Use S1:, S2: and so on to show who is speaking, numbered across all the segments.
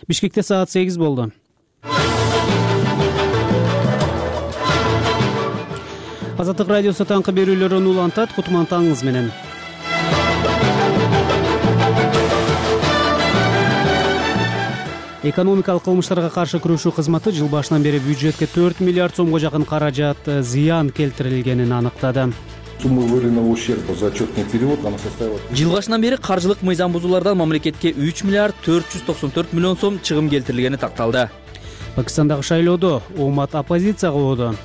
S1: Бишкекте саат 8 болду. Азаттык радиосу таңкы берүүлөрүн улантат. Кутман таңыңыз менен. Экономикалык кылмыштарга каршы күрөшүү кызматы жыл башынан бери бюджетке 4 миллиард сомго жакын каражат зыян келтирилгенин аныктады.
S2: Сумма выявленного ущерба за отчетный период она составила...
S3: Жыл башынан бери каржылык мыйзам бузуулардан мамлекетке 3 миллиард 494 миллион сом чыгым келтирилгени такталды.
S1: Пакистандагы шайлоодо Омат оппозицияга болду.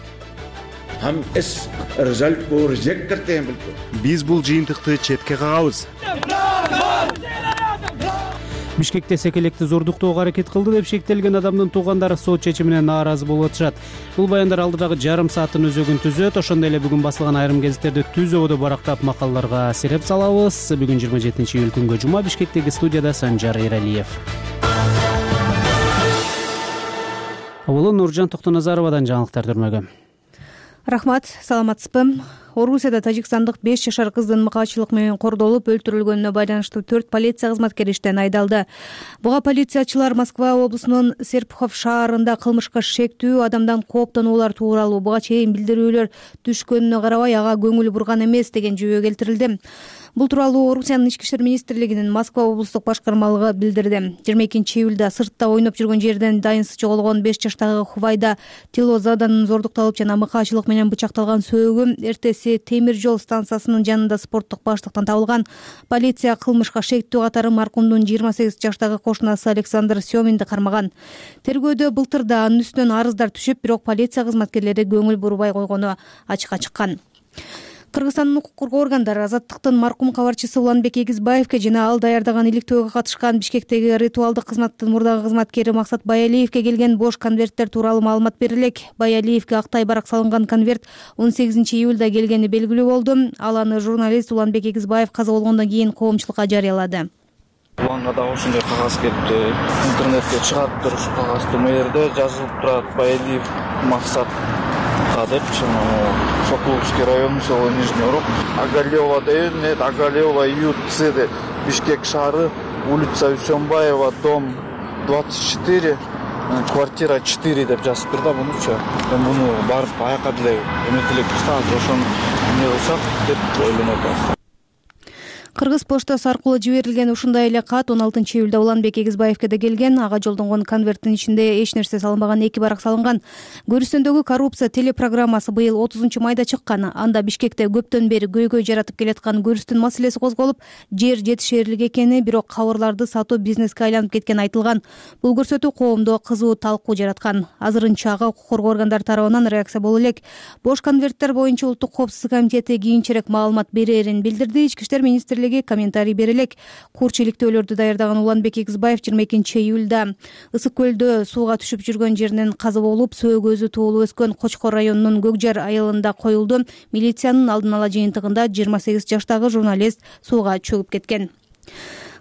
S4: Биз бул жыйынтыкты четке кагабыз.
S1: Бишкекте секелекти зордуктоого аракет кылды деп шектелген адамдын туугандары сот чечимине нааразы болуп атышат. Бул баяндар алдыдагы жарым сааттын өзөгүн түзөт. Ошондой эле бүгүн басылган айрым гезиттерди түз ободо барактап макалаларга сереп салабыз. Бүгүн 27-июль күнгө жума. Бишкектеги студияда Санжар Эралиев. Авалы Нуржан Токтоназаровадан жаңылыктар түрмөгө.
S5: Рахмат, саламатсызбы? Орусияда тажикстандык 5 жашар кыздын мыкаачылык менен кордолуп өлтүрүлгөнүнө байланыштуу 4 полиция кызматкери иштен айдалды. Буга полициячылар Москва облусунун Серпухов шаарында кылмышка шектүү адамдан кооптонуулар тууралуу буга чейин билдирүүлөр түшкөнүнө карабай ага көңүл бурган эмес деген жүйө келтирилди. Бул тууралуу Орусиянын ички иштер министрлигинин Москва облустук башкармалыгы билдирди. 22-июлда сыртта ойноп жүргөн жерден дайынсыз жоголгон 5 жаштагы Хувайда Тилозаданын зордукталып жана мыкаачылык менен бычакталган сөөгү эртеси темир жол станциясынын жанында спорттук баштыктан табылган. Полиция кылмышка шектүү катары маркумдун 28 жаштагы кошунасы Александр Семинди кармаган. Тергөөдө былтыр да анын үстүнөн арыздар түшүп, бирок полиция кызматкерлери көңүл бурбай койгону ачыкка чыккан. Кыргызстандын укук коргоо органдары Азаттыктын маркум кабарчысы Уланбек Эгизбаевке жана ал даярдаган иликтөөгө катышкан Бишкектеги ритуалдык кызматтын мурдагы кызматкери Максат Баялиевке келген бош конверттер тууралуу маалымат бере элек. Баялиевке актай барак салынган конверт 18-июлда келгени белгилүү болду. Ал аны журналист Уланбек Эгизбаев каза болгондон кийин коомчулукка жарыялады.
S6: Уланга дагы ушундай кагаз келипти. Интернетке чыгат туруш кагазды. Бул жерде жазылып турат Баялиев Максат деп Сокуловский район, село Нижний Урок, Агалева ДН, Агалева ЮЦ, Бишкек шаары, улица Усенбаева, дом 24, квартира 4 деп жазып турду. Мунучу муну барып аяка деле эметелек азыр ошону эмне кылсак деп ойлонуп атабыз.
S5: Кыргыз поштасы аркылуу жиберилген ушундай эле кат 16-июлда Уланбек Эгизбаевке да келген. Ага жолдонгон конверттин ичинде эч нерсе салынбаган 2 барак салынган. Көрүстөндөгү коррупция телепрограммасы быйыл 30-майда чыккан. Анда Бишкекте көптөн бери көйгөй жаратып келаткан көрүстүн маселеси козголуп, жер жетишээрлик экени, бирок кабырларды сатуу бизнеске айланып кеткени айтылган. Бул көрсөтүү коомдо кызуу талкуу жараткан. Азырынча ага укук коргоо органдары тарабынан реакция боло элек. Бош конверттер боюнча улуттук коопсуздук комитети кийинчерээк маалымат берерин билдирди. Ички иштер министрлиги комментарий бере элек. Курч иликтөөлөрдү даярдаган Уланбек Эгизбаев 22-июлда Ысык көлдө сууга түшүп жүргөн жеринен каза болуп, сөөгөзү туулуп өскөн Кочкор районунун Көкжар айылында коюлду. Милициянын алдын ала жыйынтыгында 28 жаштагы журналист сууга чөгүп кеткен.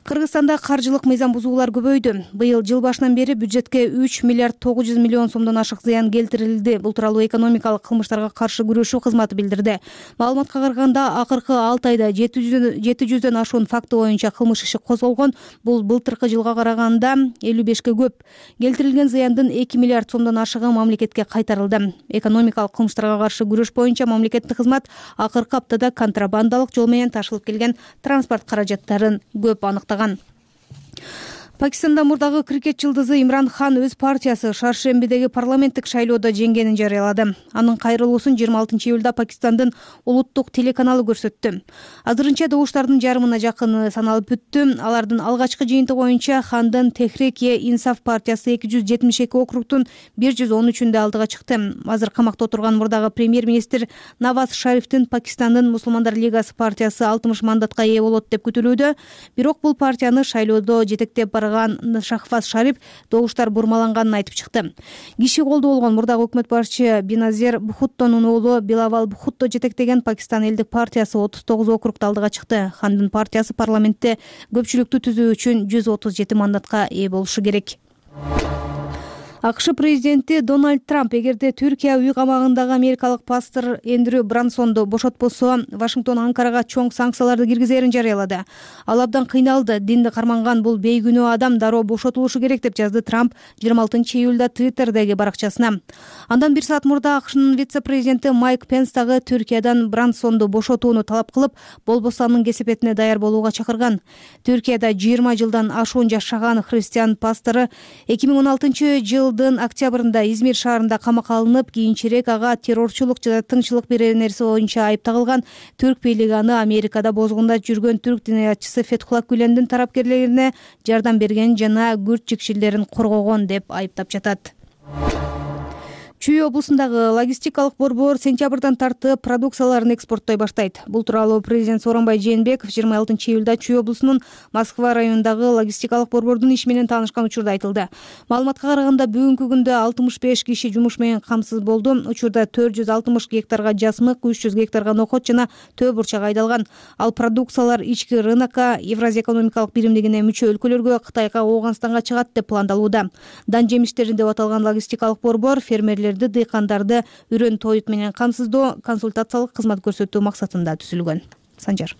S5: Кыргызстанда каржылык мыйзам бузуулар көбөйдү. Быйыл жыл башынан бери бюджетке 3 миллиард 900 миллион сомдон ашык зыян келтирилди. Бул тууралуу экономикалык кылмыштарга каршы күрөшүү кызматы билдирди. Маалыматка караганда акыркы 6 айда 700дөн ашуун факты боюнча кылмыш иши козголгон. Бул былтыркы жылга караганда 55ке көп. Келтирилген зыяндын 2 миллиард сомдон ашыгы мамлекетке кайтарылды. Экономикалык кылмыштарга каршы күрөш боюнча мамлекеттик кызмат акыркы аптада контрабандалык жол менен ташылып келген транспорт каражаттарын көп аныктаган. Пакистанда мурдагы крикет жылдызы Имран Хан өз партиясы Шаршембидеги парламенттик шайлоодо жеңгенин жарыялады. Анын кайрылуусун 26-июлда Пакистандын улуттук телеканалы көрсөттү. Азырынча добуштардын жарымына жакыны саналып бүттү. Алардын алгачкы жыйынтыгы боюнча Хандын Техрик-e-Инсаф партиясы 272 округтун 113-үндө алдыга чыкты. Азыр камакта отурган мурдагы премьер-министр Наваз Шарифтин Пакистандын Мусулмандар лигасы партиясы 60 мандатка ээ болот деп күтүлүүдө. Бирок бул партияны шайлоодо жетектеп Шахваз Шариф добуштар бурмаланганын айтып чыкты. Киши колдуу болгон мурдагы өкмөт башчы Биназир Бхуттонун уулу Билавал Бхутто жетектеген Пакистан элдик партиясы 39 округда алдыга чыкты. Хандын партиясы парламентте көпчүлүктү түзүү үчүн 137 мандатка ээ болушу керек. АКШ президенти Дональд Трамп эгерде Түркия үй камагындагы америкалык пастор Эндрю Брансонду бошотпосо, Вашингтон Анкарага чоң санкцияларды киргизерин жарыялады. Ал абдан кыйналды. Динди карманган бул бейгүнөө адам дароо бошотулушу керек деп жазды Трамп 26 июлда Твиттердеги баракчасына. Андан бир саат мурда АКШнын вице-президенти Майк Пенс дагы Түркиядан Брансонду бошотууну талап кылып, болбосо анын кесепетине даяр болууга чакырган. Түркияда 20 жылдан ашуун жашаган христиан пастору 2016 жылдын октябрында Измир шаарында камакка алынып, кийинчерээк ага террорчулук жана тыңчылык берер нерсе боюнча айып тагылган. Түрк бийлиги аны Америкада бозгундап жүргөн түрк диниятчысы Фетхулла Гүлендин тарапкерлерине жардам берген жана күрд жикшилдерин коргогон деп айыптап жатат. Чүй облусундагы логистикалык борбор сентябрдан тартып продукцияларын экспорттой баштайт. Бул тууралуу президент Сооронбай Жээнбеков 26 июлда Чүй облусунун Москва районундагы логистикалык борбордун иши менен таанышкан учурда айтылды. Маалыматка караганда бүгүнкү күндө 65 киши жумуш менен камсыз болду. Учурда 460 гектарга жасмык, 300 гектарга нокот жана төө бурчак айдалган. Ал продукциялар ички рынокко, Евразия экономикалык биримдигине мүчө өлкөлөргө, Кытайга, Ооганстанга чыгат деп пландалууда. Дан жемиштерин деп аталган логистикалык борбор фермерлерди, дыйкандарды үрөн тоют менен камсыздоо, консультациялык кызмат көрсөтүү максатында түзүлгөн. Санжар.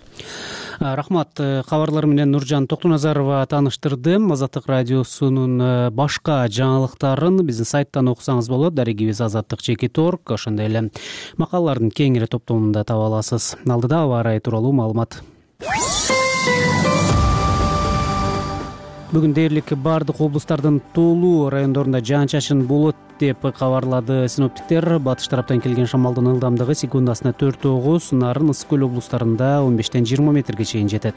S1: Рахмат. Кабарлар менен Нуржан Токтоназарова тааныштырды. Азаттык радиосунун башка жаңылыктарын биздин сайттан окусаңыз болот. Дарегибиз azattik.org. Ошондой эле макалалардын кеңири топтомунда таба аласыз. Алдыда аба ырайы тууралуу маалымат. Бүгүн дээрлик бардык облустардын тоолуу райондорунда жаан-чачын болот деп кабарлады синоптиктер. Батыш тараптан келген шамалдын ылдамдыгы секундасына 4-9, Нарын, Ысык көл облустарында 15-20 метрге чейин жетет.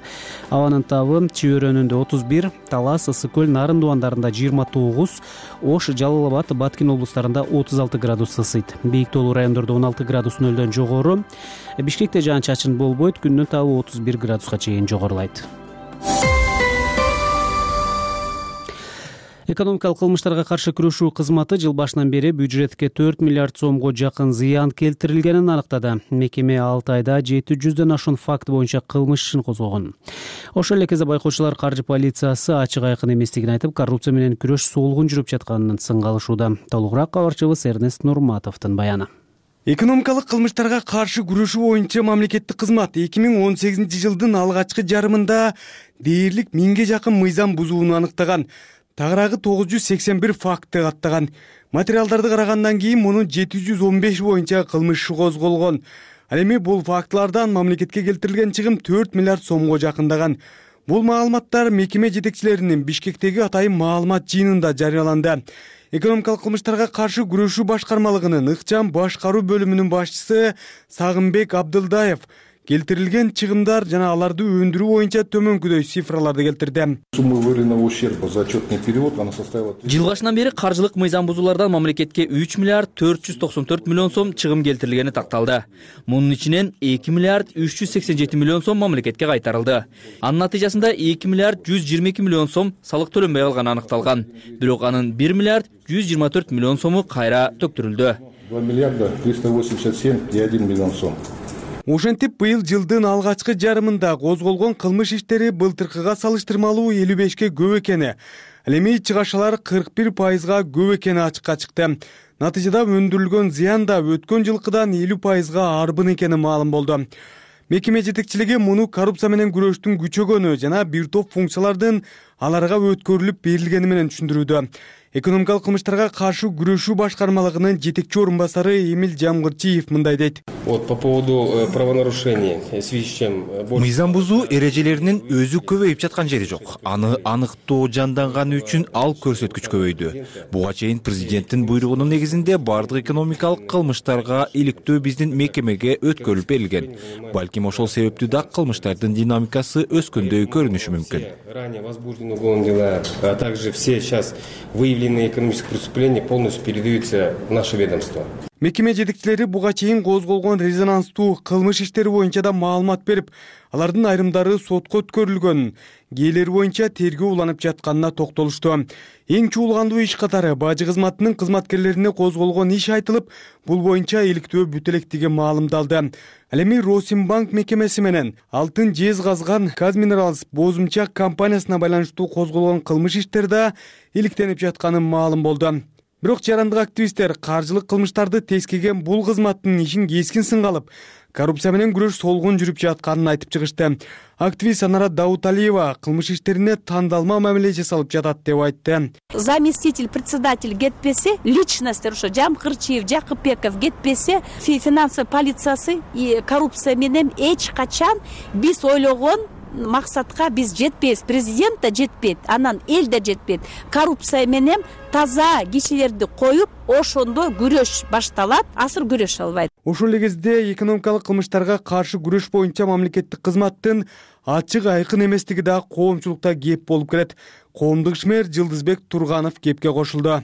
S1: Абанын табы Чүй өрөөнүндө 31, Талас, Ысык көл, Нарын дубандарында 29, Ош, Жалал Абад, Баткин облустарында 36 градус ысыйт. Бийик тоолуу райондордо 16 градус нөлдөн жогору. Бишкекте жаан-чачын болбойт, күндүн табы 31 градуска чейин жогорулайт. Экономикалык кылмыштарга каршы күрөшүү кызматы жыл башынан бери бюджетке 4 миллиард сомго жакын зыян келтирилгенин аныктады. Мекеме 6 айда 700дөн ашуун факт боюнча кылмыш ишин козгогон. Ошол эле кезде байкоочулар каржы полициясы ачык айкын эместигин айтып, коррупция менен күрөш солгун жүрүп жатканын сынга алышууда. Толугураак кабарчыбыз Эрнест Нурматовдун баяны.
S4: Экономикалык кылмыштарга каршы күрөшүү боюнча мамлекеттик кызмат 2018 жылдын алгачкы жарымында дээрлик 1000ге жакын мыйзам бузууну аныктаган. Тагыраагы 981 факты каттаган. Материалдарды карагандан кийин мунун 715 боюнча кылмыш иши козголгон. Ал эми бул фактылардан мамлекетке келтирилген чыгым 4 миллиард сомго жакындаган. Бул маалыматтар мекеме жетекчилеринин Бишкектеги атайын маалымат жыйынында жарыяланды. Экономикалык кылмыштарга каршы күрөшүү башкармалыгынын ыкчам башкаруу бөлүмүнүн башчысы Сагынбек Абдылдаев келтирилген чыгымдар жана аларды өндүрүү боюнча төмөнкүдөй цифраларды келтирди.
S2: Сумма выявленного ущерба за отчетный период она составила...
S3: Жыл башынан бери каржылык мыйзам бузуулардан мамлекетке 3 миллиард 494 миллион сом чыгым келтирилгени такталды. Мунун ичинен 2 миллиард 387 миллион сом мамлекетке кайтарылды. Анын натыйжасында 2 миллиард 122 миллион сом салык төлөнбөй калганы аныкталган. Бирок анын 1 миллиард 124 миллион сому кайра төктүрүлдү.
S2: 2 миллиарда 387,1 миллион сом.
S4: Ошентип быйыл жылдын алгачкы жарымында козголгон кылмыш иштери былтыркыга салыштырмалуу 55ке көп экени, ал эми чыгашалар 41%га көп экени ачыкка чыкты. Натыйжада өндүрүлгөн зыян да өткөн жылкыдан 50%га арбын экени маалым болду. Мекеме жетекчилиги муну коррупция менен күрөштүн күчөгөнү жана бир топ функциялардын аларга өткөрүлүп берилгени менен түшүндүрүүдө. Экономикалык кылмыштарга каршы күрөшүү башкармалыгынын жетекчи орун басары Эмил Жамгырчиев мындай дейт.
S7: Вот по поводу правонарушений в связи с чем...
S8: Мыйзам бузуу эрежелеринин өзү көбөйүп жаткан жери жок. Аны аныктоо жанданганы үчүн ал көрсөткүч көбөйдү. Буга чейин президенттин буйругунун негизинде бардык экономикалык кылмыштарга иликтөө биздин мекемеге өткөрүлүп берилген. Балким ошол себептүү да кылмыштардын динамикасы өскөндөй көрүнүшү мүмкүн.
S7: Ранее возбуждены уголовные дела, а также все сейчас выявленные экономические преступления полностью передаются в наше ведомство.
S4: Мекеме жетекчилери буга чейин козголгон резонанстуу кылмыш иштери боюнча да маалымат берип, алардын айрымдары сотко өткөрүлгөн, кээелери боюнча тергөө уланып жатканына токтолушту. Эң чуулгандуу иш катары бажы кызматынын кызматкерлерине козголгон иш айтылып, бул боюнча иликтөө бүтө электиги маалымдалды. Ал эми Росимбанк мекемеси менен алтын жез казган Казминералс бозумчак компаниясына байланыштуу козголгон кылмыш иштер да иликтенип жатканы маалым болду. Бирок жарандык активисттер каржылык кылмыштарды тескеген бул кызматтын ишин кескин сынга алып, коррупция менен күрөш солгун жүрүп жатканын айтып чыгышты. Активист Анара Дауталиева кылмыш иштерине тандалма мамиле жасалып жатат деп айтты.
S9: Заместитель председатель кетпесе, личностьтер ошо Жамкырчиев, Жакыпбеков кетпесе, финансовый полициясы и коррупция менен эч качан биз ойлогон максатка биз жетпейбиз. Президент да жетпейт, анан эл да жетпейт. Коррупция менен таза кишилерди коюп, ошондо күрөш башталат, азыр күрөш албайт.
S4: Ошол эле кезде экономикалык кылмыштарга каршы күрөш боюнча мамлекеттик кызматтын ачык айкын эместиги да коомчулукта кеп болуп келет. Коомдук ишмер Жылдызбек Турганов кепке кошулду.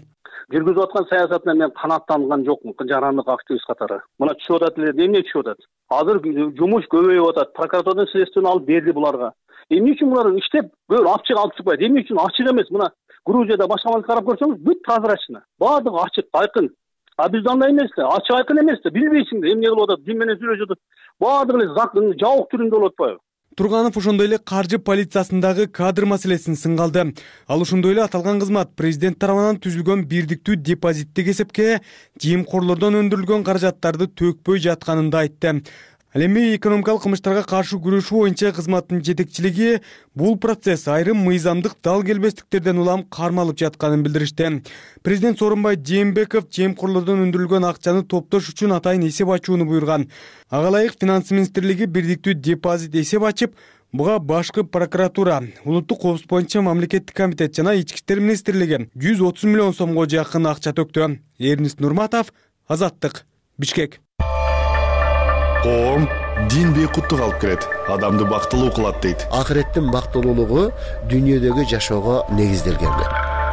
S10: Жүргүзүп аткан саясатына мен канааттанган жокмун, жарандык активист катары. Мына түшүп атат эле, эмне түшүп атат? Азыр жумуш көбөйүп атат. Прокуратурадан следствияны алып берди буларга. Эмне үчүн булар иштеп бөөр ачык алып чыкпайт? Эмне үчүн ачык эмес? Мына Грузияда башка мамлекетке карап көрсөңүз, бүт прозрачно. Баардыгы ачык, айкын. А бизде андай эмес да, ачык айкын эмес да, билбейсиң да эмне кылып атат, ким менен сүйлөшүп атат. Баардыгы эле жабык түрүндө болуп атпайбы?
S4: Турганов ошондой эле каржы полициясындагы кадр маселесин сынга алды. Ал ошондой эле аталган кызмат президент тарабынан түзүлгөн бирдиктүү депозиттик эсепке жемкорлордон өндүрүлгөн каражаттарды төкпөй жатканын да айтты. Ал эми экономикалык кылмыштарга каршы күрөшүү боюнча кызматтын жетекчилиги бул процесс айрым мыйзамдык дал келбестиктерден улам кармалып жатканын билдиришти. Президент Сооронбай Жээнбеков жемкорлордон өндүрүлгөн акчаны топтош үчүн атайын эсеп ачууну буйруган. Ага ылайык Финанс министрлиги бирдиктүү депозит эсеп ачып, буга башкы прокуратура, улуттук коопсуздук боюнча мамлекеттик комитет жана Ички иштер министрлиги 130 миллион сомго жакын акча төктү. Эрнис Нурматов, Азаттык, Бишкек.
S11: Коом дин бейкуттук алып келет, адамды бактылуу кылат дейт.
S12: Акыреттин бактылуулугу дүйнөдөгү жашоого негизделген.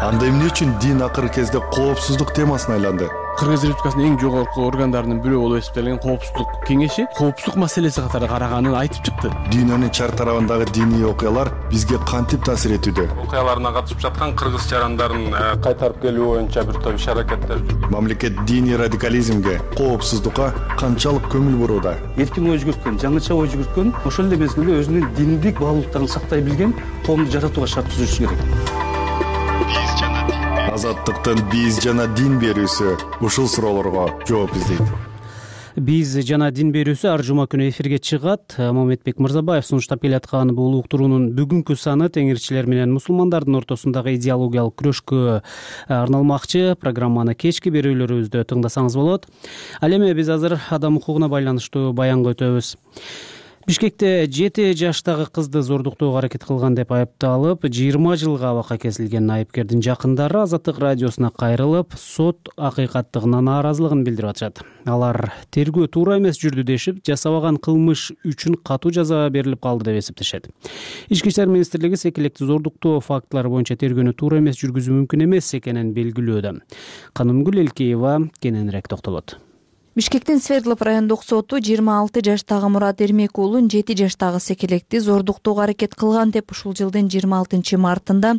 S11: Анда эмне үчүн дин акыркы кезде коопсуздук темасына айланды?
S13: Кыргыз Республикасынын эң жогорку органдарынын бирөө болуп эсептелген коопсуздук кеңеши коопсуздук маселеси катары караганын айтып чыкты.
S11: Дүйнөнүн чар тарабындагы диний окуялар бизге кантип таасир этүүдө?
S14: Окуяларына катышып жаткан кыргыз жарандарын кайтарып келүү боюнча бир топ иш-аракеттер.
S11: Мамлекет диний радикализмге, коопсуздукка канчалык көңүл бурууда?
S15: Эркин ой жүгүрткөн, жаңыча ой жүгүрткөн, ошол эле мезгилде өзүнүн диндик баалуулуктарын сактай билген коомду жаратууга шарт түзүш керек.
S11: Азаттыктын биз жана дин берүүсү ушул суроолорго жооп издейт.
S1: Биз жана дин берүүсү ар жума күнү эфирге чыгат. Мамедбек Мырзабаев сунуштап келаткан бул уктуруунун бүгүнкү саны теңирчилер менен мусулмандардын ортосундагы идеологиялык күрөшкө арналмакчы. Программаны кечки берүүлөрүбүздө тыңдасаңыз болот. Ал эми биз азыр адам укугуна байланыштуу баянга өтөбүз. Бишкекте 7 жаштагы кызды зордуктоого аракет кылган деп айыпталып, 20 жылга абакка кесилген айыпкердин жакындары Азаттык радиосуна кайрылып, сот акыйкаттыгына нааразылыгын билдирип атышат. Алар тергөө туура эмес жүрдү дешип, жасабаган кылмыш үчүн катуу жаза берилип калды деп эсептешет. Ички иштер министрлиги секелекти зордуктоо фактылары боюнча тергөөнү туура эмес жүргүзүү мүмкүн эмес экенин белгилөөдө. Канымгүл Элкеева кененирээк токтолот.
S16: Бишкектин Свердлов райондук соту 26 жаштагы Мурат Эрмек уулун 7 жаштагы секелекти зордуктоого аракет кылган деп ушул жылдын 26 мартында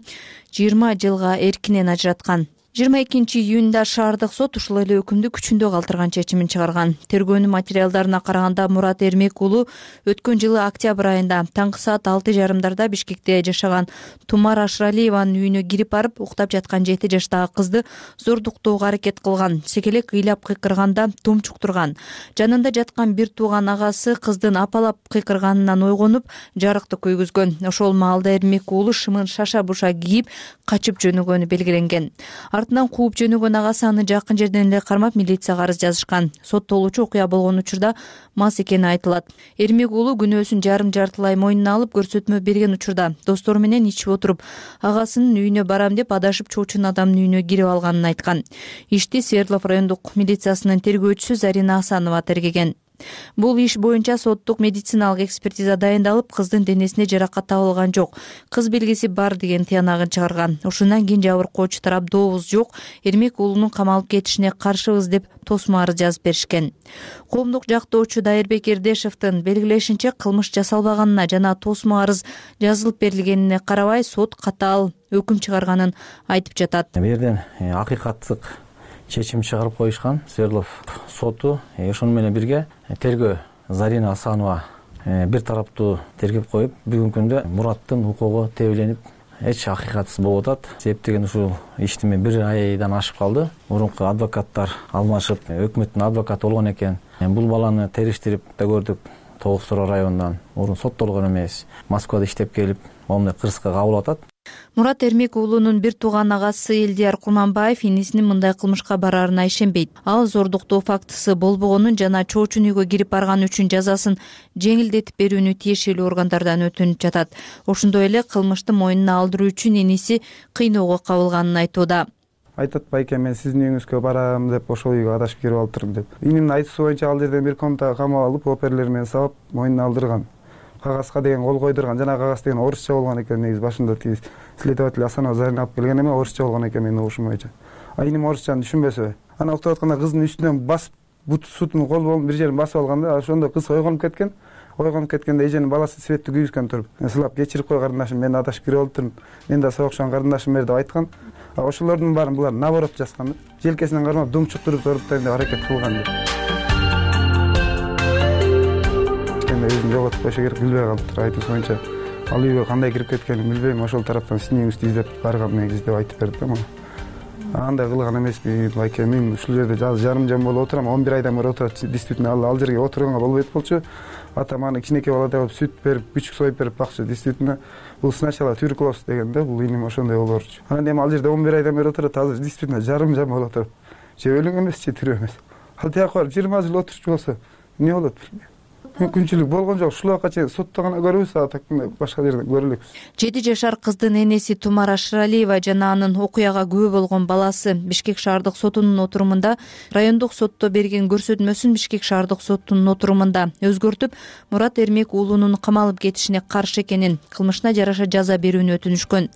S16: 20 жылга эркинен ажыраткан. 22 июнда шаардык сот ушул эле өкүмдү күчүндө калтырган чечимин чыгарган. Тергөөнүн материалдарына караганда Мурат Эрмек уулу өткөн жылы октябрь айында таңкы саат 6:30 Бишкекте жашаган Тумар Ашралиеванын үйүнө кирип барып, уктап жаткан 7 жаштагы кызды зордуктоого аракет кылган. Секелек ыйлап кыйкырганда тумчуктурган. Жанында жаткан бир тууган агасы кыздын апалап кыйкырганынан ойгонуп, жарыкты көйгүзгөн. Ошол маалда Эрмек уулу шымын шаша-буша кийип качып жөнөгөнү белгиленген. Артынан кууп жөнөгөн агасы аны жакын жерден эле кармап милицияга арыз жазышкан. Соттолуучу окуя болгон учурда мас экени айтылат. Эрмек уулу күнөөсүн жарым-жартылай мойнуна алып көрсөтмө берген учурда достору менен ичип отуруп, агасынын үйүнө барам деп адашып чоочун адамдын үйүнө кирип алганын айткан. Ишти Свердлов райондук милициясынын тергөөчүсү Зарина Асанова тергеген. Бул иш боюнча соттук медициналык экспертиза дайындалып, кыздын денесине жаракат табылган жок. Кыз белгиси бар деген тыянагын чыгарган. Ушундан кийин жабыркоочу тарап дообуз жок, Эрмек уулунун камалып кетишине каршыбыз деп тосмо арыз жазып беришкен. Коомдук жактоочу Дайырбек Эрдешевдин белгилешинче, кылмыш жасалбаганына жана тосмо арыз жазылып берилгенине карабай сот катаал өкүм чыгарганын айтып жатат.
S17: Бу жерден акыйкаттык чечим чыгарып коюшкан. Свердлов соту ошону менен бирге тергөө Зарина Асанова бир тараптуу тергеп коюп, бүгүнкү күндө Мураттын укугу тебеленип, эч акыйкатсыз болуп атат. Себеп деген ушул ишти мен 1 айдан ашып калды. Мурунку адвокаттар алмашып, өкмөттүн адвокаты болгон экен. Бул баланы териштирип да көрдүк. Тоғыз районунан мурун соттолгон эмес, Москвада иштеп келип, момундай кырсыкка кабыл атат.
S16: Мурат Эрмек уулунун бир тууган агасы Элдияр Курманбаев инисинин мындай кылмышка барарына ишенбейт. Ал зордуктоо фактысы болбогонун жана чоочун үйгө кирип барган үчүн жазасын жеңилдетип берүүнү тиешелүү органдардан өтүнүп жатат. Ошондой эле кылмышты мойнуна алдыруу үчүн иниси кыйноого кабылганын айтууда.
S18: Айтат, байке, мен сиздин үйүңүзгө барам деп ошол үйгө адашып кирип алыптырмын деп. Инимдин айтуусу боюнча ал жерден бир комнатага камап алып, оперлер менен сабап, мойнуна алдырган. Кагазга деген кол койдурган. Жана кагаз деген орусча болгон экен, негизи башында тиги следователь Асанова Зарина алып келген эме орусча болгон экен менин угушум боюнча. Иним орусчаны түшүнбөсө, ана уктап атканда кыздын үстүнөн басып, бутун кол болуп бир жерин басып алганда, ошондо кыз ойгонуп кеткен. Ойгонуп кеткенде эженин баласы светти күйгүзгөн туруп, сылап кечирип кой карындашым, мен адашып кирип алыптырмын. Мен да согушкан карындашым бер деп айткан. Ошолордун баарын булар наоборот жазган. Желкесинен кармап думчуктуруп зоруптайм деп аракет кылган деп. Өзүн жоготуп койсо керек, билбей калыптыр. Айтуусу боюнча ал үйгө кандай кирип кеткенин билбейм. Ошол тараптан сиздин үйүңүздү издеп барган негизи деп айтып берди да мага. Андай кылган эмесмин, байке. Мен ушул жерде жарым жам болуп отурам. 11 айдан бери отурат. Действительно ал жерге отурганга болбойт болчу. Атам аны кичинекей баладай болуп сүт берип, күчүк союп берип бакчы. Действительно бул сначала туберкулоз дегенде, бул иним ошондой болорчу. Анан эми ал жерде 11 айдан бери отурат. Азыр действительно жарым жам болуп атат. Же өлүң эмес, же тирүү эмес. Ал тияка барып 20 жыл отурчу болсо эмне болот билбейм. Мүмкүнчүлүк болгон жок. Ушул убакка чейин сотто гана көрүбүз, башка жерден көрө элекпиз.
S16: 7 жашар кыздын энеси Тумара Шыралиева жана анын окуяга күбө болгон баласы Бишкек шаардык сотунун отурумунда райондук сотто берген көрсөтмөсүн Бишкек шаардык сотунун отурумунда өзгөртүп, Мурат Эрмек уулунун камалып кетишине каршы экенин, кылмышына жараша жаза берүүнү өтүнүшкөн.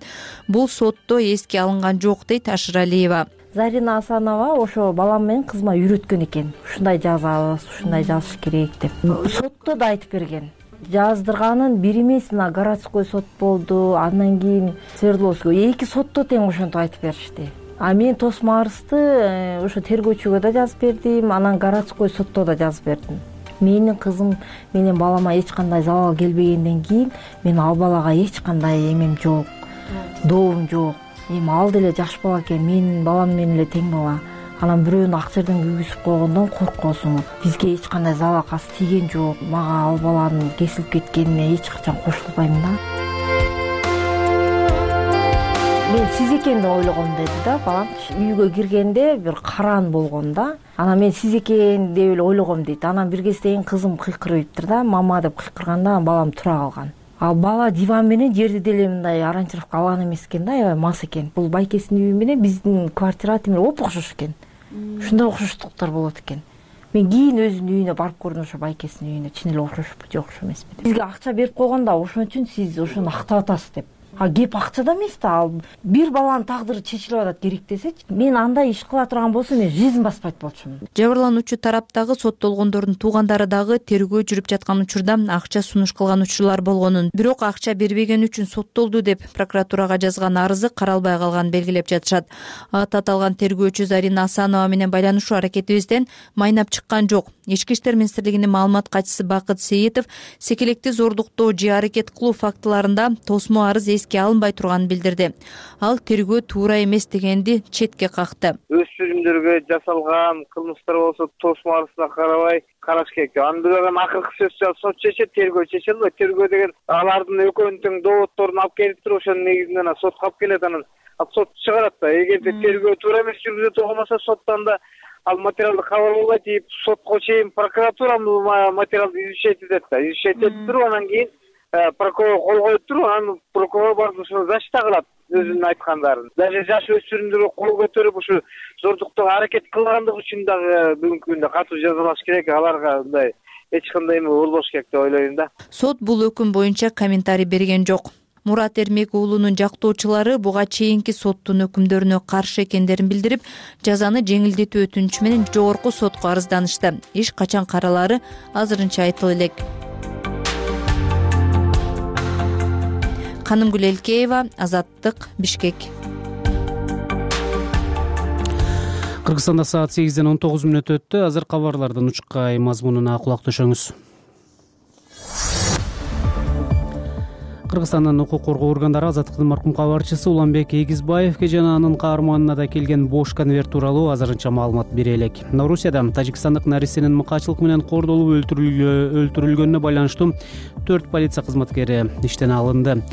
S16: Бул сотто эске алынган жок, дейт Шыралиева.
S19: Зарина Асанова ошо балам менен кызыма үйрөткөн экен. Ушундай жазабыз, ушундай жазыш керек деп. Сотто да айтып берген. Жаздырганын бир эмес, мына городской сот болду, андан кийин Свердловский 2 сотто тең ошентип айтып беришти. А мен тосмо арызды ошо тергөөчүгө да жазып бердим, анан городской сотто да жазып бердим. Менин кызым менен балама эч кандай залал келбегенден кийин мен ал балага эч кандай эмем жок, дообум жок. Эми ал деле жаш бала экен, менин балам менен эле тең бала. Анан бирөөнү ак жерден күйгүзүп койгондон коркосуң. Бизге эч кандай залал тийген жок. Мага ал баланын кесилип кеткенине эч качан кошулбайм да. Мен сиз экенин ойлогом деди да балам. Үйгө киргенде бир караан болгон да. Анан мен сиз экен деп эле ойлогом дейт. Анан бир кезден кызым кыйкырыптыр да, мама деп кыйкырганда балам тура калган. Ал бала диван менен жерди деле мындай аранжировка алган эмес экен да, аябай мас экен. Бул байкесинин үйү менен биздин квартира тимир оп окшош экен. Ушундай окшоштуктар болот экен. Мен кийин өзүнүн үйүнө барып көрдүм, ошо байкесинин үйүнө. Чын эле окшошпу, жок окшош эмеспи деп. Бизге акча берип койгон да, ошон үчүн сиз ошону актап атасыз деп. А кеп акчада эмес да, ал бир баланын тагдыры чечилип атат керек десечи. Мен андай иш кыла турган болсом, мен жизнь баспайт болчумун.
S16: Жабырлануучу тараптагы соттолгондордун туугандары дагы тергөө жүрүп жаткан учурда акча сунуш кылган учурлар болгонун, бирок акча бербеген үчүн соттолду деп прокуратурага жазган арызы каралбай калганын белгилеп жатышат. Аталган тергөөчү Зарина Асанова менен байланышуу аракетибизден майнап чыккан жок. Ички иштер министрлигинин маалымат катчысы Бакыт Сейитов секелекти зордуктоо же аракет кылуу фактыларында тосмо арыз эске алынбай турганын билдирди. Ал тергөө туура эмес дегенди четке какты.
S20: Өспүрүмдөргө жасалган кылмыштар болсо тосмо арызына карабай караш керек. Анын бирок акыркы сөз сот чечет, тергөө чече албайт. Тергөө деген алардын экөөнүн тең доводдорун алып келип туруп, ошонун негизинен сотко алып келет, анан сот чыгарат да. Эгерде тергөө туура эмес жүргүзүлө турган соттон да ал материалды кабыл албайт дейт, сотко чейин прокуратура материалды изучать этет да. Изучать этип туруп, анан кийин прокурор кол коюп туруп, анан прокурор барып ушуну защита кылат өзүнүн айткандарын. Даже жаш өспүрүмдөргө кол көтөрүп ушу зордуктоого аракет кылгандыгы үчүн дагы бүгүнкү күндө катуу жазалаш керек. Аларга мындай эч кандай эме болбош керек деп ойлойм да.
S16: Сот бул өкүм боюнча комментарий берген жок. Мурат Эрмек уулунун жактоочулары буга чейинки соттун өкүмдөрүнө каршы экендерин билдирип, жазаны жеңилдетүү өтүнүчү менен жогорку сотко арызданышты. Иш качан каралары азырынча айтыла элек. Канымгүл Элкеева, Азаттык, Бишкек.
S1: Кыргызстанда саат 8-ден 19 мүнөт өттү. Азыр кабарлардын учкай мазмунуна кулак төшөңүз. Кыргызстандын укук коргоо органдары Азаттыктын маркум кабарчысы Уланбек Эгизбаевге жана анын каарманына да келген бош конверт тууралуу азырынча маалымат бере элек. Орусияда тажикстандык наристенин мыкаачылык менен кордолуп өлтүрүлгөнүнө байланыштуу 4 полиция кызматкери иштен алынды.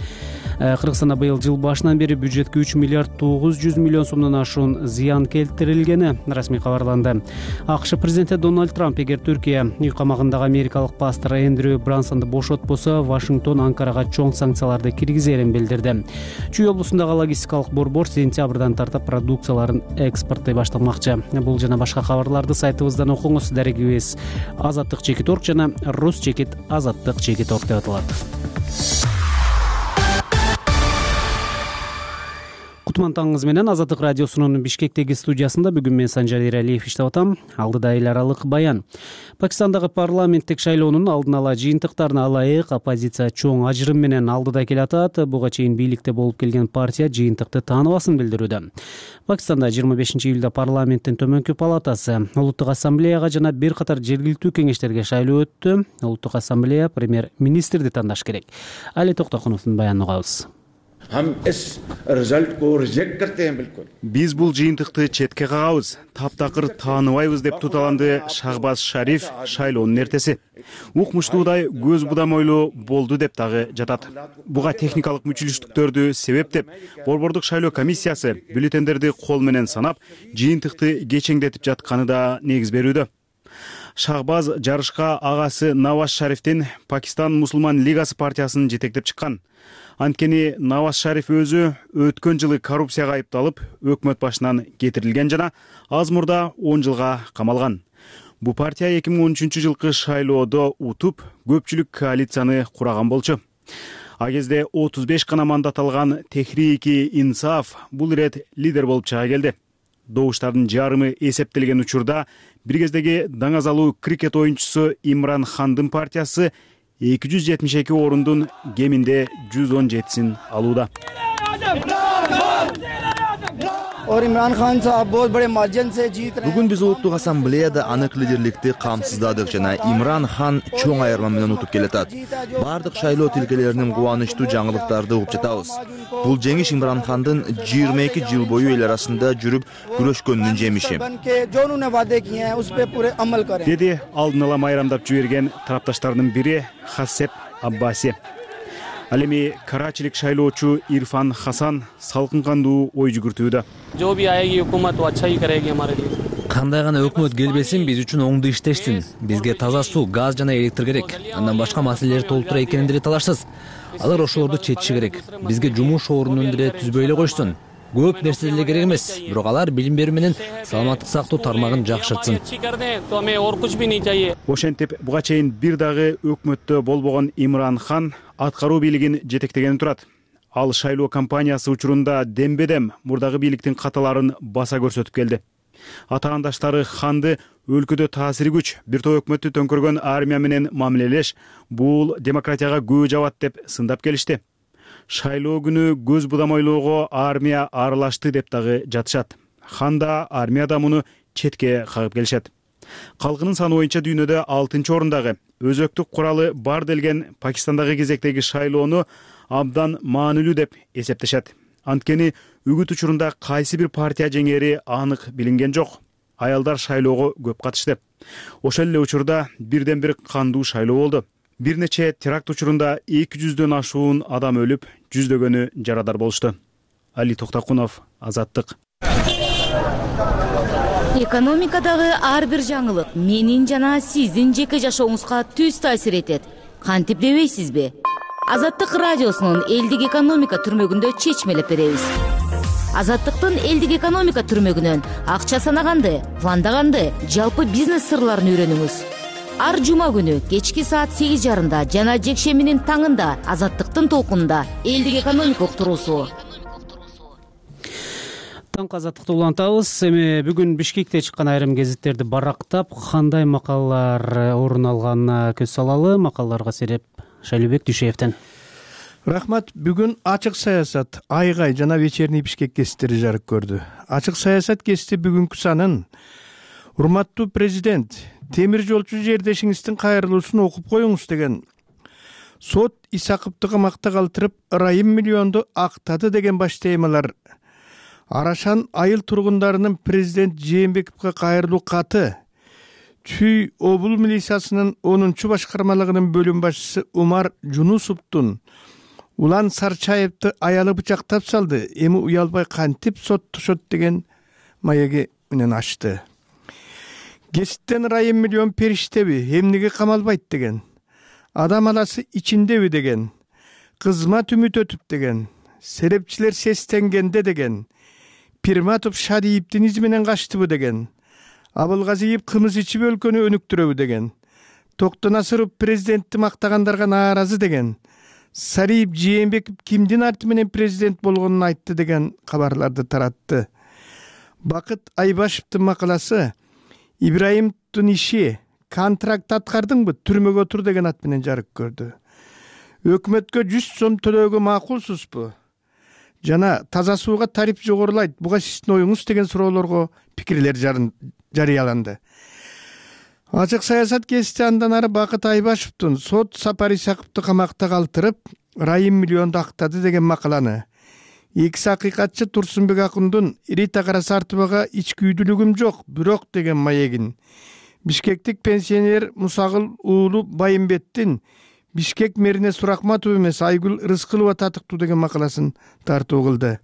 S1: Кыргызстанда быйыл жыл башынан бери бюджетке 3 миллиард 900 миллион сомдон ашуун зыян келтирилгени расмий кабарланды. АКШ президенти Дональд Трамп эгер Түркия үй камагындагы америкалык пастор Эндрю Брансонду бошотпосо, Вашингтон Анкарага чоң санкцияларды киргизерин билдирди. Чүй облусундагы логистикалык борбор сентябрдан тартып продукцияларын экспорттой башталмакчы. Бул жана башка кабарларды сайтыбыздан окуңуз. Дарегибиз Азаттык.org жана Rus.Azаттык.org деп аталат. Кутман таңыңыз менен Азаттык радиосунун Бишкектеги студиясында бүгүн мен Санжар Эралиев иштеп атам. Алдыда эл аралык баян. Пакистандагы парламенттик шайлоонун алдын ала жыйынтыктарына ылайык оппозиция чоң ажырым менен алдыда келатат. Буга чейин бийликте болуп келген партия жыйынтыкты тааныбасын билдирүүдө. Пакистанда 25-июлда парламенттин төмөнкү палатасы Улуттук ассамблеяга жана бир катар жергиликтүү кеңештерге шайлоо өттү. Улуттук ассамблея премьер-министрди тандаш керек. Али Токтокуновдун баянын угабыз.
S21: Биз бул жыйынтыкты четке кагабыз, таптакыр тааныбайбыз деп туталанды Шахбаз Шариф шайлоонун эртеси. Укмуштуудай көз будамойлуу болду деп дагы жатат. Буга техникалык мүчүлүштүктөрдү себеп деп борбордук шайлоо комиссиясы бюллетендерди кол менен санап, жыйынтыкты кечеңдетип жатканы да негиз берүүдө. Шахбаз жарышка агасы Наваз Шарифтин Пакистан мусулман лигасы партиясын жетектеп чыккан. Анткени Наваз Шариф өзү өткөн жылы коррупцияга айыпталып, өкмөт башынан кетирилген жана аз мурда 10 жылга камалган. Бу партия 2013 жылкы шайлоодо утуп, көпчүлүк коалицияны кураган болчу. А кезде 35 гана мандат алган Техрики Инсаф бул ирет лидер болуп чыга келди. Добуштардын жарымы эсептелген учурда бир кездеги даңазалуу крикет оюнчусу Имран Хандын партиясы 272 орундун кеминде 117син алууда.
S22: Бүгүн биз Улуттук ассамблеяда анык лидерликти камсыздадык жана Имран Хан чоң айырма менен утуп келатат. Бардык шайлоо тилкелеринин кубанычтуу жаңылыктарды угуп жатабыз. Бул жеңиш Имран Хандын 22 жыл бою эл арасында жүрүп күрөшкөнүнүн жемиши.
S21: Деди алдын ала майрамдап жиберген тарапташтардын бири Хасеп Аббаси. Ал эми карачилик шайлоочу Ирфан Хасан салкын кандуу ой жүгүртүүдө.
S23: Кандай гана өкмөт келбесин биз үчүн оңду иштештин. Бизге таза суу, газ жана электр керек. Андан башка маселелер толтура экенин деле талашсыз. Алар ошолорду чечиши керек. Бизге жумуш ордунун деле түзбөй эле койсун. Көп нерсе деле керек эмес. Бирок алар билим берүү менен саламаттык сактоо тармагын жакшыртсын.
S21: Ошентип буга чейин бир дагы өкмөттө болбогон Имран Хан аткаруу бийлигин жетектегени турат. Ал шайлоо кампаниясы учурунда дембедем мурдагы бийликтин каталарын баса көрсөтүп келди. Атаандаштары Ханды өлкөдө таасири күч, бир топ өкмөттү төңкөргөн армия менен мамилелеш, бул демократияга көө жабат деп сындап келишти. Шайлоо күнү көз будамойлоого армия аралашты деп дагы жатышат. Хан да армия да муну четке кагып келишет. Калкынын саны боюнча дүйнөдө 6-орындагы өзөктүк куралы бар делген Пакистандагы кезектеги шайлоону абдан маанилүү деп эсептешет. Анткени үгүт учурунда кайсы бир партия жеңери анык билинген жок. Аялдар шайлоого көп катышты. Ошол эле учурда бирден бир кандуу шайлоо болду. Бир нече теракт учурунда 200дөн ашуун адам өлүп, жүздөгөнү жарадар болушту. Али Токтокунов, Азаттык.
S24: Экономикадагы ар бир жаңылык менин жана сиздин жеке жашооңузга түз таасир этет. Кантип дебейсизби? Азаттык радиосунун элдик экономика түрмөгүндө чечмелеп беребиз. Азаттыктын элдик экономика түрмөгүнөн акча санаганды, пландаганды, жалпы бизнес сырларын үйрөнүңүз. Ар жума күнү кечки саат 8:30 жана жекшембинин таңында Азаттыктын толкунунда элдик экономика уктуруусу.
S1: Таңкы Азаттыкты улантабыз. Эми бүгүн Бишкекте чыккан айрым гезиттерди барактап, кандай макалалар орун алганына көз салалы. Макалаларга сереп Шайлообек Дүйшеевден.
S25: Рахмат. Бүгүн ачык саясат, айгай жана вечерний Бишкек гезиттери жарык көрдү. Ачык саясат гезити бүгүнкү санын урматтуу президент, темир жолчу жердешиңиздин кайрылуусун окуп коюңуз деген сот Исаковду камакта калтырып ырайым миллионду актады деген баш темалар. Арашан айыл тургундарынын президент Жээнбековго кайрылуу каты, Чүй обул милициясынын 10-чу башкармалыгынын бөлүм башчысы Умар Жунусовдун Улан Сарчаевди аялы бычактап салды, эми уялбай кантип соттошот деген маеги менен ачты. Кесиптен ырайым миллион периштеби, эмнеге камалбайт деген, адам аласы ичиндеби деген, кызмат үмүт өтүп деген, серепчилер сестенгенде деген, Пирматов Шадиевдин изи менен качтыбы деген, Абылгазиев кымыз ичип өлкөнү өнүктүрөбү деген, Токтонасыров президентти мактагандарга нааразы деген, Сариев Жээнбеков кимдин арты менен президент болгонун айтты деген кабарларды таратты. Бакыт Айбашевдин макаласы Ибраимовдун иши контракт аткардыңбы, түрмөгө отур деген ат менен жарык көрдү. Өкмөткө 100 сом төлөөгө макулсузбу? Жана таза сууга тариф жогорулайт, буга сиздин оюңуз деген суроолорго пикирлер жарыяланды. Ачык саясат гезити андан ары Бакыт Айбашевдин сот Сапар Исаковду камакта калтырып, ырайым миллионду актады деген макаланы, экс акыйкатчы Турсунбек Акундун Рита Карасартовага ичкүйдүүлүгүм жок, бирок деген маегин, Бишкектик пенсионер Мусагыл уулу Байымбеттин Бишкек мэрине Суракматов эмес Айгүл Рыскылова татыктуу деген макаласын тартуу кылды.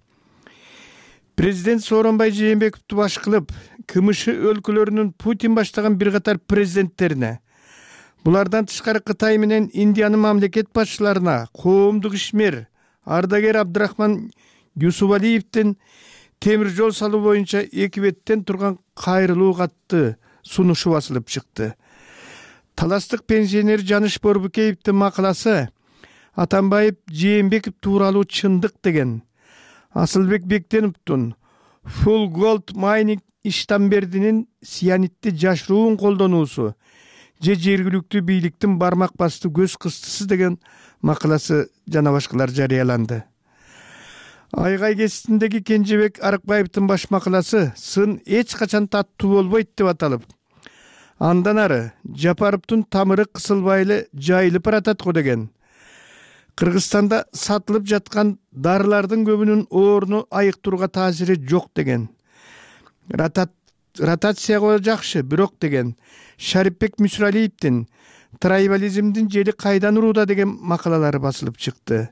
S25: Президент Сооронбай Жээнбековду баш кылып, КМШ өлкөлөрүнүн Путин баштаган бир катар президенттерине, булардан тышкары Кытай менен Индиянын мамлекет башчыларына, коомдук ишмер ардагер Абдрахман Юсупалиевдин темир жол салуу боюнча эки беттен турган кайрылуу катты сунушу басылып чыкты. Таластык пенсионер Жаныш Борбукеевдин макаласы Атамбаев Жээнбеков тууралуу чындык деген, Асылбек Бектеновдун Full Gold Mining Иштамбердинин сианитти жашыруун колдонуусу же жергиликтүү бийликтин бармак басты көз кыстысы деген макаласы жана башкалар жарыяланды. Айгай гезитиндеги Кенжебек Арыкбаевдин баш макаласы сын эч качан таттуу болбойт деп аталып, андан ары Жапаровдун тамыры кысылбай эле жайылып баратат го деген, Кыргызстанда сатылып жаткан дарылардын көбүнүн орну айыктырууга таасири жок деген, ротацияга жакшы, бирок деген, Шарипбек Мүсүралиевдин трайбализмдин жели кайдан урууда деген макалалары басылып чыкты.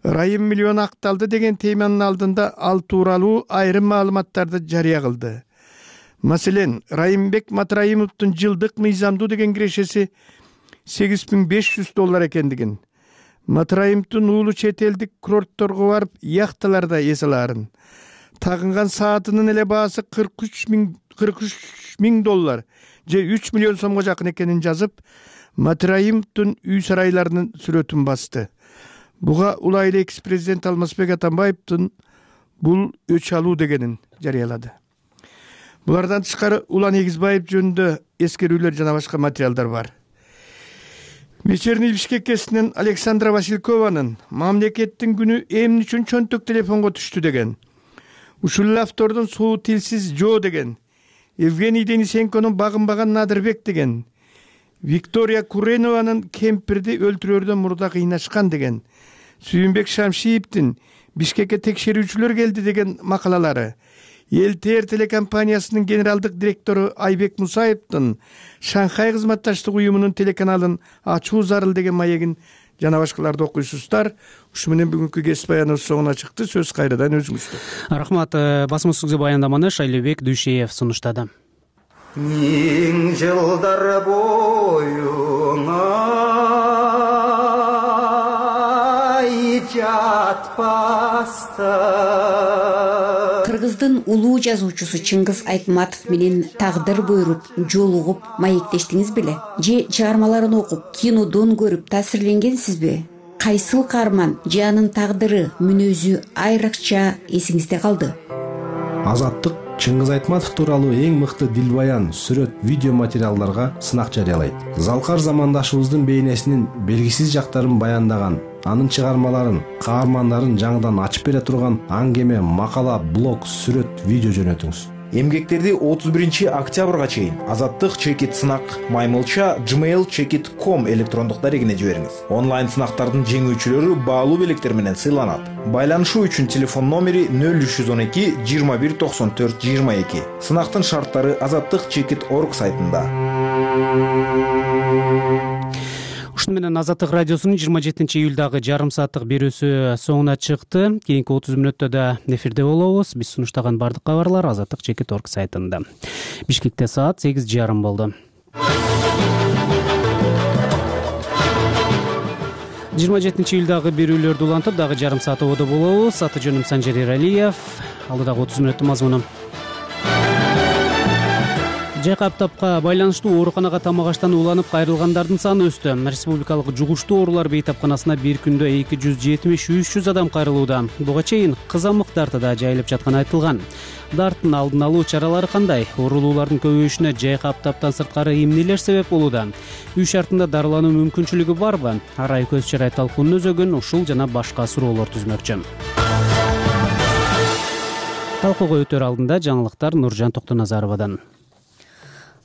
S25: Ырайым миллион акталды деген теманын алдында ал тууралуу айрым маалыматтарды жарыя кылды. Маселен, Райымбек Матраимовдун жылдык мыйзамдуу деген кирешеси $8500 экендигин, Матраимовдун уулу чет элдик курортторго барып яхталарда эс алаарын, тагынган саатынын эле баасы $43 миң же 3 миллион сомго жакын экенин жазып, Матраимовдун үй сарайларынын сүрөтүн басты. Буга улайлы экс-президент Алмазбек Атамбаевдин бул өч алуу дегенин жарыялады. Булардан тышкары Улан Эгизбаев жөнүндө эскерүүлөр жана башка материалдар бар. Вечерний Бишкек кесинен Александра Василькованын мамлекеттин күнү эмне үчүн чөнтөк телефонго түштү деген, ушул автордун суу тилсиз жоо деген, Евгений Денисенконун багынбаган Надырбек деген, Виктория Куренованын кемпирди өлтүрөрдөн мурда кыйнашкан деген, Сүйүнбек Шамшиевдин Бишкекке текшерүүчүлөр келди деген макалалары, ЛТР телекомпаниясынын генералдык директору Айбек Мусаевдин Шанхай кызматташтык уюмунун телеканалын ачуу зарыл деген маегин жана башкаларды окуйсуздар. Ушу менен бүгүнкү кесип баяныбыз соңуна чыкты. Сөз кайрадан өзүңүздө.
S1: Рахмат. Басма сөзгө баяндаманы Шайлебек Дүйшеев сунуштады.
S2: Миң жылдар боюна жатпастан
S3: Кыргыздын улуу жазуучусу Чыңгыз Айтматов менен тагдыр буйруп, жолугуп, маектештиңиз беле? Же чыгармаларын окуп, кинодон көрүп таасирленгенсизби? Кайсыл каарман же анын тагдыры, мүнөзү айрыкча эсиңизде калды?
S5: Азаттык Чыңгыз Айтматов тууралуу эң мыкты дилбаян, сүрөт, видео материалдарга сынак жарыялайт. Залкар замандашыбыздын бейнесинин белгисиз жактарын баяндаган, анын чыгармаларын, каармандарын жаңыдан ачып бере турган аңгеме, макала, блог, сүрөт, видео жөнөтүңүз.
S6: Эмгектерди 31-октябрга чейин Азаттык чекит сынак @gmail.com электрондук дарегине жибериңиз. Онлайн сынактардын жеңүүчүлөрү баалуу белектер менен сыйланат. Байланышуу үчүн телефон номери 0312 21 94 22. Сынактын шарттары azattikchekit.org сайтында.
S1: Ушуну менен Азаттык радиосунун 27-июлдагы жарым сааттык берүүсү соңуна чыкты. Кийинки 30 мүнөттө да эфирде болобуз. Биз сунуштаган бардык кабарлар azattikchekit.org сайтында. Бишкекте саат 8:30 болду. 27-июлдагы берүүлөрдү улантып дагы жарым саат ободо болобуз. Аты жөнүм Санжар Эралиев. Алдыдагы 30 мүнөттүн мазмуну. Жайкаптапка байланыштуу ооруканага тамак аштан уланып кайрылгандардын саны өстү. Республикалык жугуштуу оорулар бейтапканасына бир күндө 270-300 адам кайрылууда. Буга чейин кызамык дарты да жайылып жатканы айтылган. Дарттын алдын алуу чаралары кандай? Оорулуулардын көбөйүшүнө жайкаптаптан сырткары эмнелер себеп болууда? Үй шартында дарылануу мүмкүнчүлүгү барбы? Арай көз чарай талкуунун өзөгүн ушул жана башка суроолор түзмөкчү. Талкууга өтөр алдында жаңылыктар Нуржан Токтоназаровадан.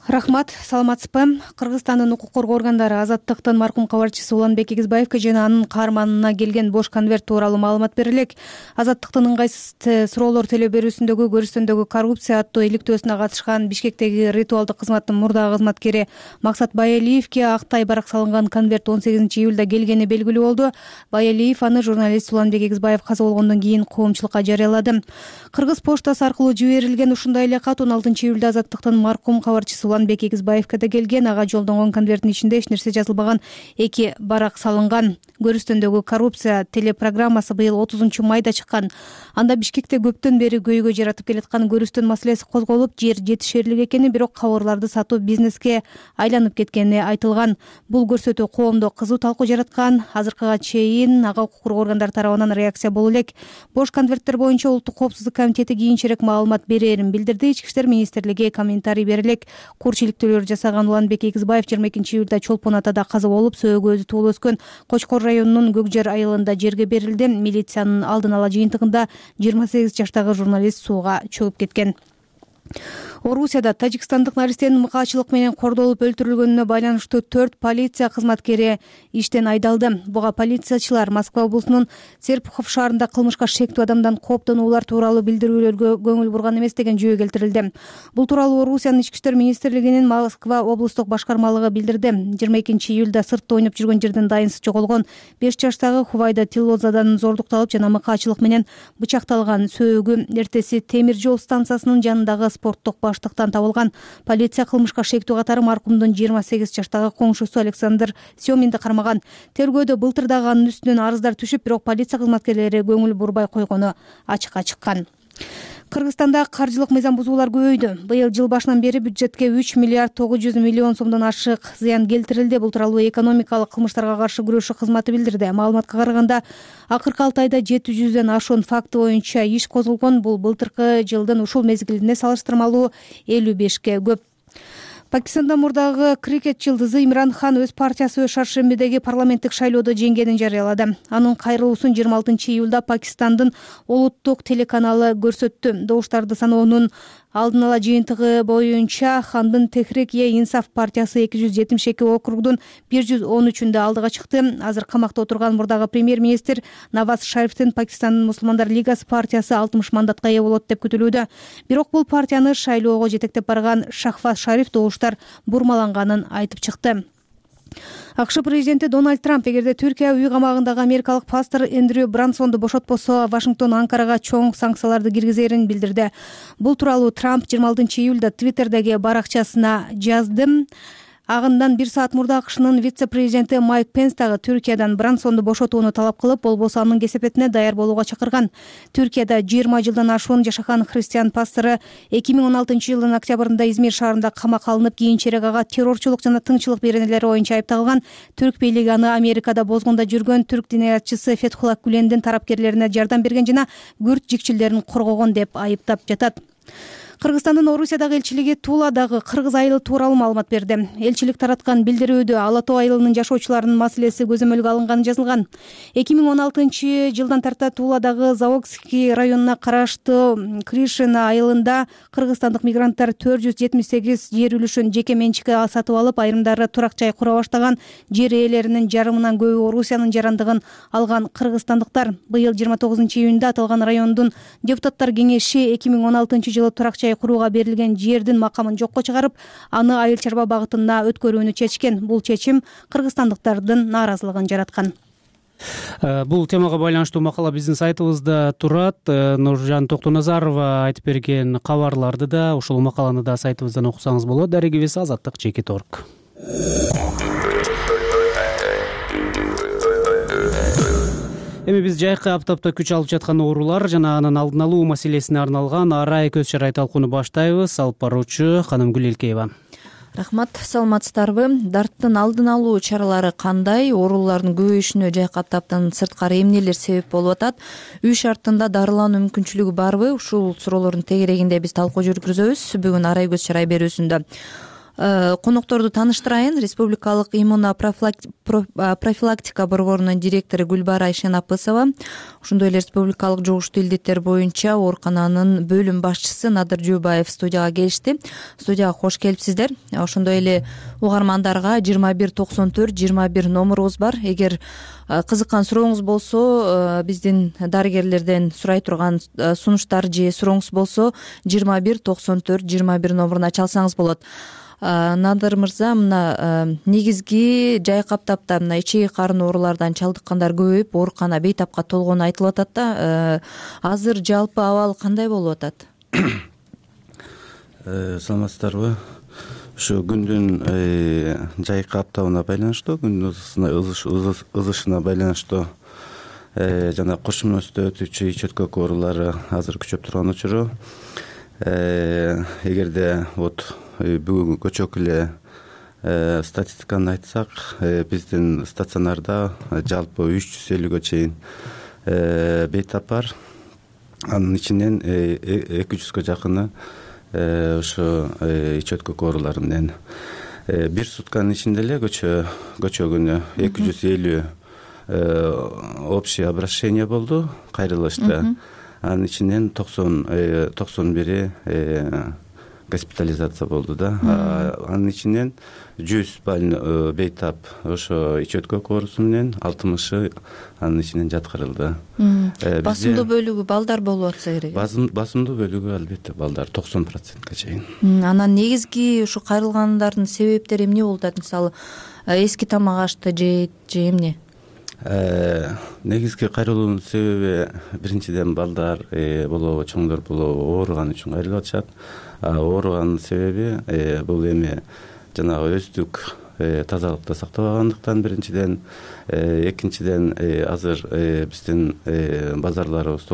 S7: Рахмат, саламатсызбы? Кыргызстандын укук коргоо органдары Азаттыктын маркум кабарчысы Уланбек Эгизбаевге жана анын каарманына келген бош конверт тууралуу маалымат бере элек. Азаттыктын ыңгайсыз суроолор төлөө берүүсүндөгү көрүстөндөгү коррупция аттуу иликтөөсүнө катышкан Бишкектеги ритуалдык кызматтын мурдагы кызматкери Максат Байалиевге актай барак салынган конверт 18-июлда келгени белгилүү болду. Байалиев аны журналист Уланбек Эгизбаев каза болгондон кийин коомчулукка жарыялады. Кыргыз поштасы аркылуу жиберилген ушундай эле кат 16-июлда Азаттыктын маркум кабарчысы Уланбек Эгизбаевге да келген. Ага жолдонгон конверттин ичинде эч нерсе жазылбаган 2 барак салынган. Көрүстөндөгү коррупция телепрограммасы быйыл 30-майда чыккан. Анда Бишкекте көптөн бери көйгөй жаратып келаткан көрүстөн маселеси козголуп, жер жетишерлик экени, бирок кабарларды сатуу бизнеске айланып кеткени айтылган. Бул көрсөтүү коомдо кызуу талкуу жараткан. Азыркыга чейин ага укук коргоо органдары тарабынан реакция боло элек. Бош конверттер боюнча Улуттук коопсуздук комитети кийинчерээк маалымат берерин билдирди. Ички иштер министрлиги комментарий бере элек. Курчиликтүүлөр жасаган Уланбек Эгизбаев 22-июлда Чолпон атада каза болуп, сөөгү өзү туулуп өскөн Кочкор районунун Көкжер айылында жерге берилди. Милициянын алдын ала жыйынтыгында 28 жаштагы журналист сууга чөгүп кеткен. Орусияда тажикстандык наристенин мыкаачылык менен кордолуп өлтүрүлгөнүнө байланыштуу 4 полиция кызматкери иштен айдалды. Буга полициячылар Москва облусунун Серпухов шаарында кылмышка шектүү адамдан кооптонуулар тууралуу билдирүүлөргө көңүл бурган эмес деген жүйө келтирилди. Бул тууралуу Орусиянын ички иштер министрлигинин Москва облустук башкармалыгы билдирди. 22-июлда сыртта ойноп жүргөн жерден дайынсыз жоголгон 5 жаштагы Хувайда Тиллозадан зордукталып жана мыкаачылык менен бычакталган. Сөөгү эртеси темир жол станциясынын жанындагы спорттук баштыктан табылган. Полиция кылмышка шектүү катары маркумдун 28 жаштагы коңшусу Александр Семинди кармаган. Тергөөдө былтыр дагы анын үстүнөн арыздар түшүп, бирок полиция кызматкерлери көңүл бурбай койгону ачыкка чыккан. Кыргызстанда каржылык мыйзам бузуулар көбөйдү. Быйыл жыл башынан бери бюджетке 3 миллиард 900 миллион сомдон ашык зыян келтирилди. Бул тууралуу экономикалык кылмыштарга каршы күрөшүү кызматы билдирди. Маалыматка караганда, акыркы 6 айда 700дөн ашуун факты боюнча иш козулгон. Бул былтыркы жылдын ушул мезгилине салыштырмалуу 55ке көп. Пакистанда мурдагы крикет жылдызы Имран Хан өз партиясы шаршембидеги парламенттик шайлоодо жеңгенин жарыялады. Анын кайрылуусун 26-июлда Пакистандын улуттук телеканалы көрсөттү. Добуштарды саноонун алдын ала жыйынтыгы боюнча Хандын Техрик-e-Инсаф партиясы 272 округдун 113-үндө алдыга чыкты. Азыр камакта отурган мурдагы премьер-министр Наваз Шарифтин Пакистандын мусулмандар лигасы партиясы 60 мандатка ээ болот деп күтүлүүдө. Бирок бул партияны шайлоого жетектеп барган Шахваз Шариф добуштар бурмаланганын айтып чыкты. АКШ президенти Дональд Трамп эгерде Түркия үй камагындагы америкалык пастор Эндрю Брансонду бошотпосо, Вашингтон Анкарага чоң санкцияларды киргизерин билдирди. Бул тууралуу Трамп 26-июлда Твиттердеги баракчасына жазды. Агындан 1 саат мурда АКШнын вице-президенти Майк Пенс дагы Түркиядан Брансонду бошотууну талап кылып, болбосо анын кесепетине даяр болууга чакырган. Түркияда 20 жылдан ашуун жашаган христиан пастору 2016-жылдын октябрында Измир шаарында камакка алынып, кийинчерээк ага террорчулук жана тынччылык беренелери боюнча айыпталган. Түрк бийлиги аны Америкада бозгунда жүргөн түрк диниятчысы Фетхулла Гүлендин тарапкерлерине жардам берген жана күрд жикчилдерин коргогон деп айыптап жатат. Кыргызстандын Орусиядагы элчилиги Туладагы кыргыз айылы тууралуу маалымат берди. Элчилик тараткан билдирүүдө Ала Тоо айылынын жашоочуларынын маселеси көзөмөлгө алынганы жазылган. 2016-жылдан тарта Туладагы Завокский районуна караштуу Кришина айылында кыргызстандык мигранттар 478 жер үлүшүн жеке менчикке сатып алып, айрымдары турак жай кура баштаган. Жер ээлеринин жарымынан көбү Орусиянын жарандыгын алган кыргызстандыктар. Быйыл 29-июнда аталган райондун депутаттар кеңеши 2016-жылы турак жай курууга берилген жердин макамын жокко чыгарып, аны айыл чарба багытына өткөрүүнү чечкен. Бул чечим кыргызстандыктардын нааразылыгын жараткан.
S1: Бул темага байланыштуу макала биздин сайтыбызда турат. Нуржан Токтоназарова айтып берген кабарларды да, ушул макаланы да сайтыбыздан окусаңыз болот. Дарегибиз azatlyk.org. Эми биз жайкы аптапта күч алып жаткан оорулар жана анын алдын алуу маселесине арналган арай көз чарай талкууну баштайбыз. Алып баруучу Канымгүл Элкеева.
S16: Рахмат, саламатсыздарбы? Дарттын алдын алуу чаралары кандай? Оорулардын көбөйүшүнө жайкы аптаптан сырткары эмнелер себеп болуп атат? Үй шартында дарылануу мүмкүнчүлүгү барбы? Ушул суроолордун тегерегинде биз талкуу жүргүзөбүз бүгүн арай көз чарай берүүсүндө. Конокторду тааныштырайын. Республикалык иммуно-профилактика борборунун директору Гүлбара Айшенапысова, ошондой эле республикалык жугуштуу илдеттер боюнча оорукананын бөлүм башчысы Надыр Жубаев студияга келишти. Студияга кош келипсиздер. Ошондой эле угармандарга 2194-21 номурубуз бар. Эгер кызыккан сурооңуз болсо, биздин дарыгерлерден сурай турган сунуштар же сурооңуз болсо 2194-21 номуруна чалсаңыз болот. Надыр мырза, мына негизги жайкы аптапта мына ичеги карын оорулардан чалдыккандар көбөйүп, оорукана бейтапка толгону айтылып атат да. Азыр жалпы абал кандай болуп атат?
S4: Саламатсыздарбы? Ушу күндүн жайкы аптабына байланыштуу, күндүн ызышына байланыштуу жана кош мүнөздө өтүүчү ич өткөк оорулары азыр күчөп турган учуру. Эгерде бүгүнкү көчөк эле статистиканы айтсак, биздин стационарда жалпы 350гө чейин бейтап бар. Анын ичинен 200гө жакыны ушу ич өткөк оорулары менен. Бир сутканын ичинде эле көчөгүнө 250 общий обращение болду кайрылышта. Анын ичинен 91 госпитализация болду да. Анын ичинен 100 бейтап ошо ич өткөк оорусу менен 60 анын ичинен жаткырылды.
S16: Басымдуу бөлүгү балдар болуп атса керек.
S4: Басымдуу бөлүгү албетте балдар 90%га чейин.
S16: Анан негизги ушу кайрылгандардын себептери эмне болуп атат? Мисалы, эски тамак ашты же эмне?
S4: Негизги кайрылуунун себеби биринчиден балдар болобу, чоңдор болобу ооруган үчүн кайрылып атышат. Ооруганын себеби бул эми жанагы өздүк тазалыкты сактабагандыктан биринчиден, экинчиден азыр биздин базарларыбыз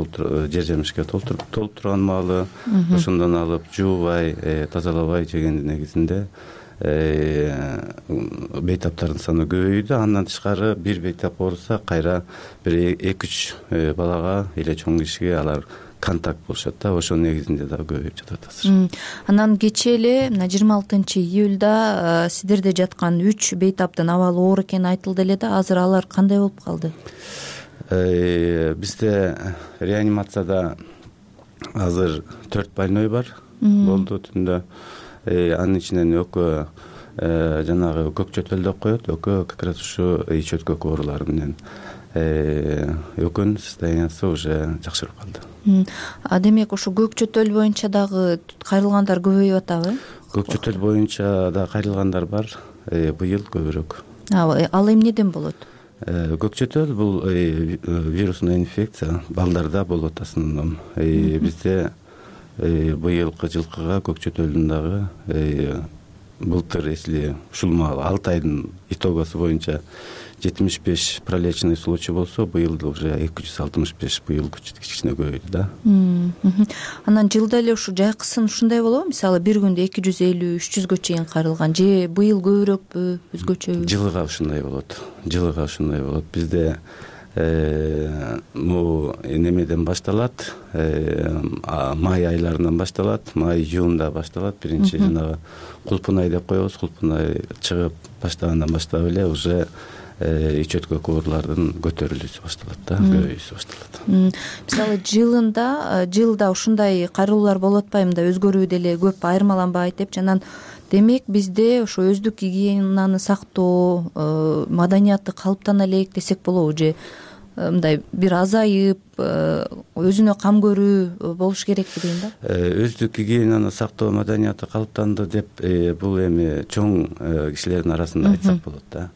S4: жер жемишке толуп турган маалы, ошондон алып жуубай, тазалабай жегендин негизинде бейтаптардын саны көбөйдү. Андан тышкары бир бейтап ооруса кайра бир 2-3 балага эле чоң кишиге алар контакт болушат да, ошонун негизинде да көбөйүп жатат азыр.
S16: Анан кечээ эле мына 26-июлда сиздерде жаткан 3 бейтаптын абалы оор экени айтылды эле да, азыр алар кандай болуп калды?
S4: Бизде реанимацияда азыр 4 больной бар болду түндө. Анын ичинен экөө жанагы көк чөтөл деп коет, экөө как раз ушу ич өткөк оорулары менен. Экөөнүн состояниясы уже жакшырып калды.
S16: Демек ушу көк чөтөл боюнча дагы кайрылгандар көбөйүп атабы?
S4: Көк чөтөл боюнча да кайрылгандар бар, быйыл көбүрөөк.
S16: Ал эмнеден болот?
S4: Көк чөтөл бул вирусный инфекция, балдарда болот основном. Бизде быйылкы жылкыга көк чөтөлдүн дагы былтыр, если ушул 6 айдын итогосу боюнча 75 пролеченный случай болсо, быйыл уже 265, быйыл кичине көбөйдү да.
S16: Анан жылда эле ушу жайкысын ушундай болобу? Мисалы, бир күндө 250-300гө чейин кайрылган же быйыл көбүрөөкпү, өзгөчөбү?
S4: Жылыга ушундай болот. Бизде могу немеден башталат, май айларынан башталат, май июнда башталат. Биринчи жанагы кулпун ай деп коебуз, кулпун ай чыгып баштагандан баштап эле уже ич өткө куурлардын көтөрүлүүсү башталат да, көбөйүүсү башталат.
S16: Мисалы жылда ушундай кайрылуулар болуп атпайбы, мындай өзгөрүү деле көп айырмаланбайт деп жанан. Демек бизде ошо өздүк гигиенаны сактоо маданияты калыптана элек десек болобу, же мындай бир азайып өзүнө кам көрүү болуш керекпи дейм да.
S4: Өздүк гигиенаны сактоо маданияты калыптанды деп бул эми чоң кишилердин арасында айтсак болот да.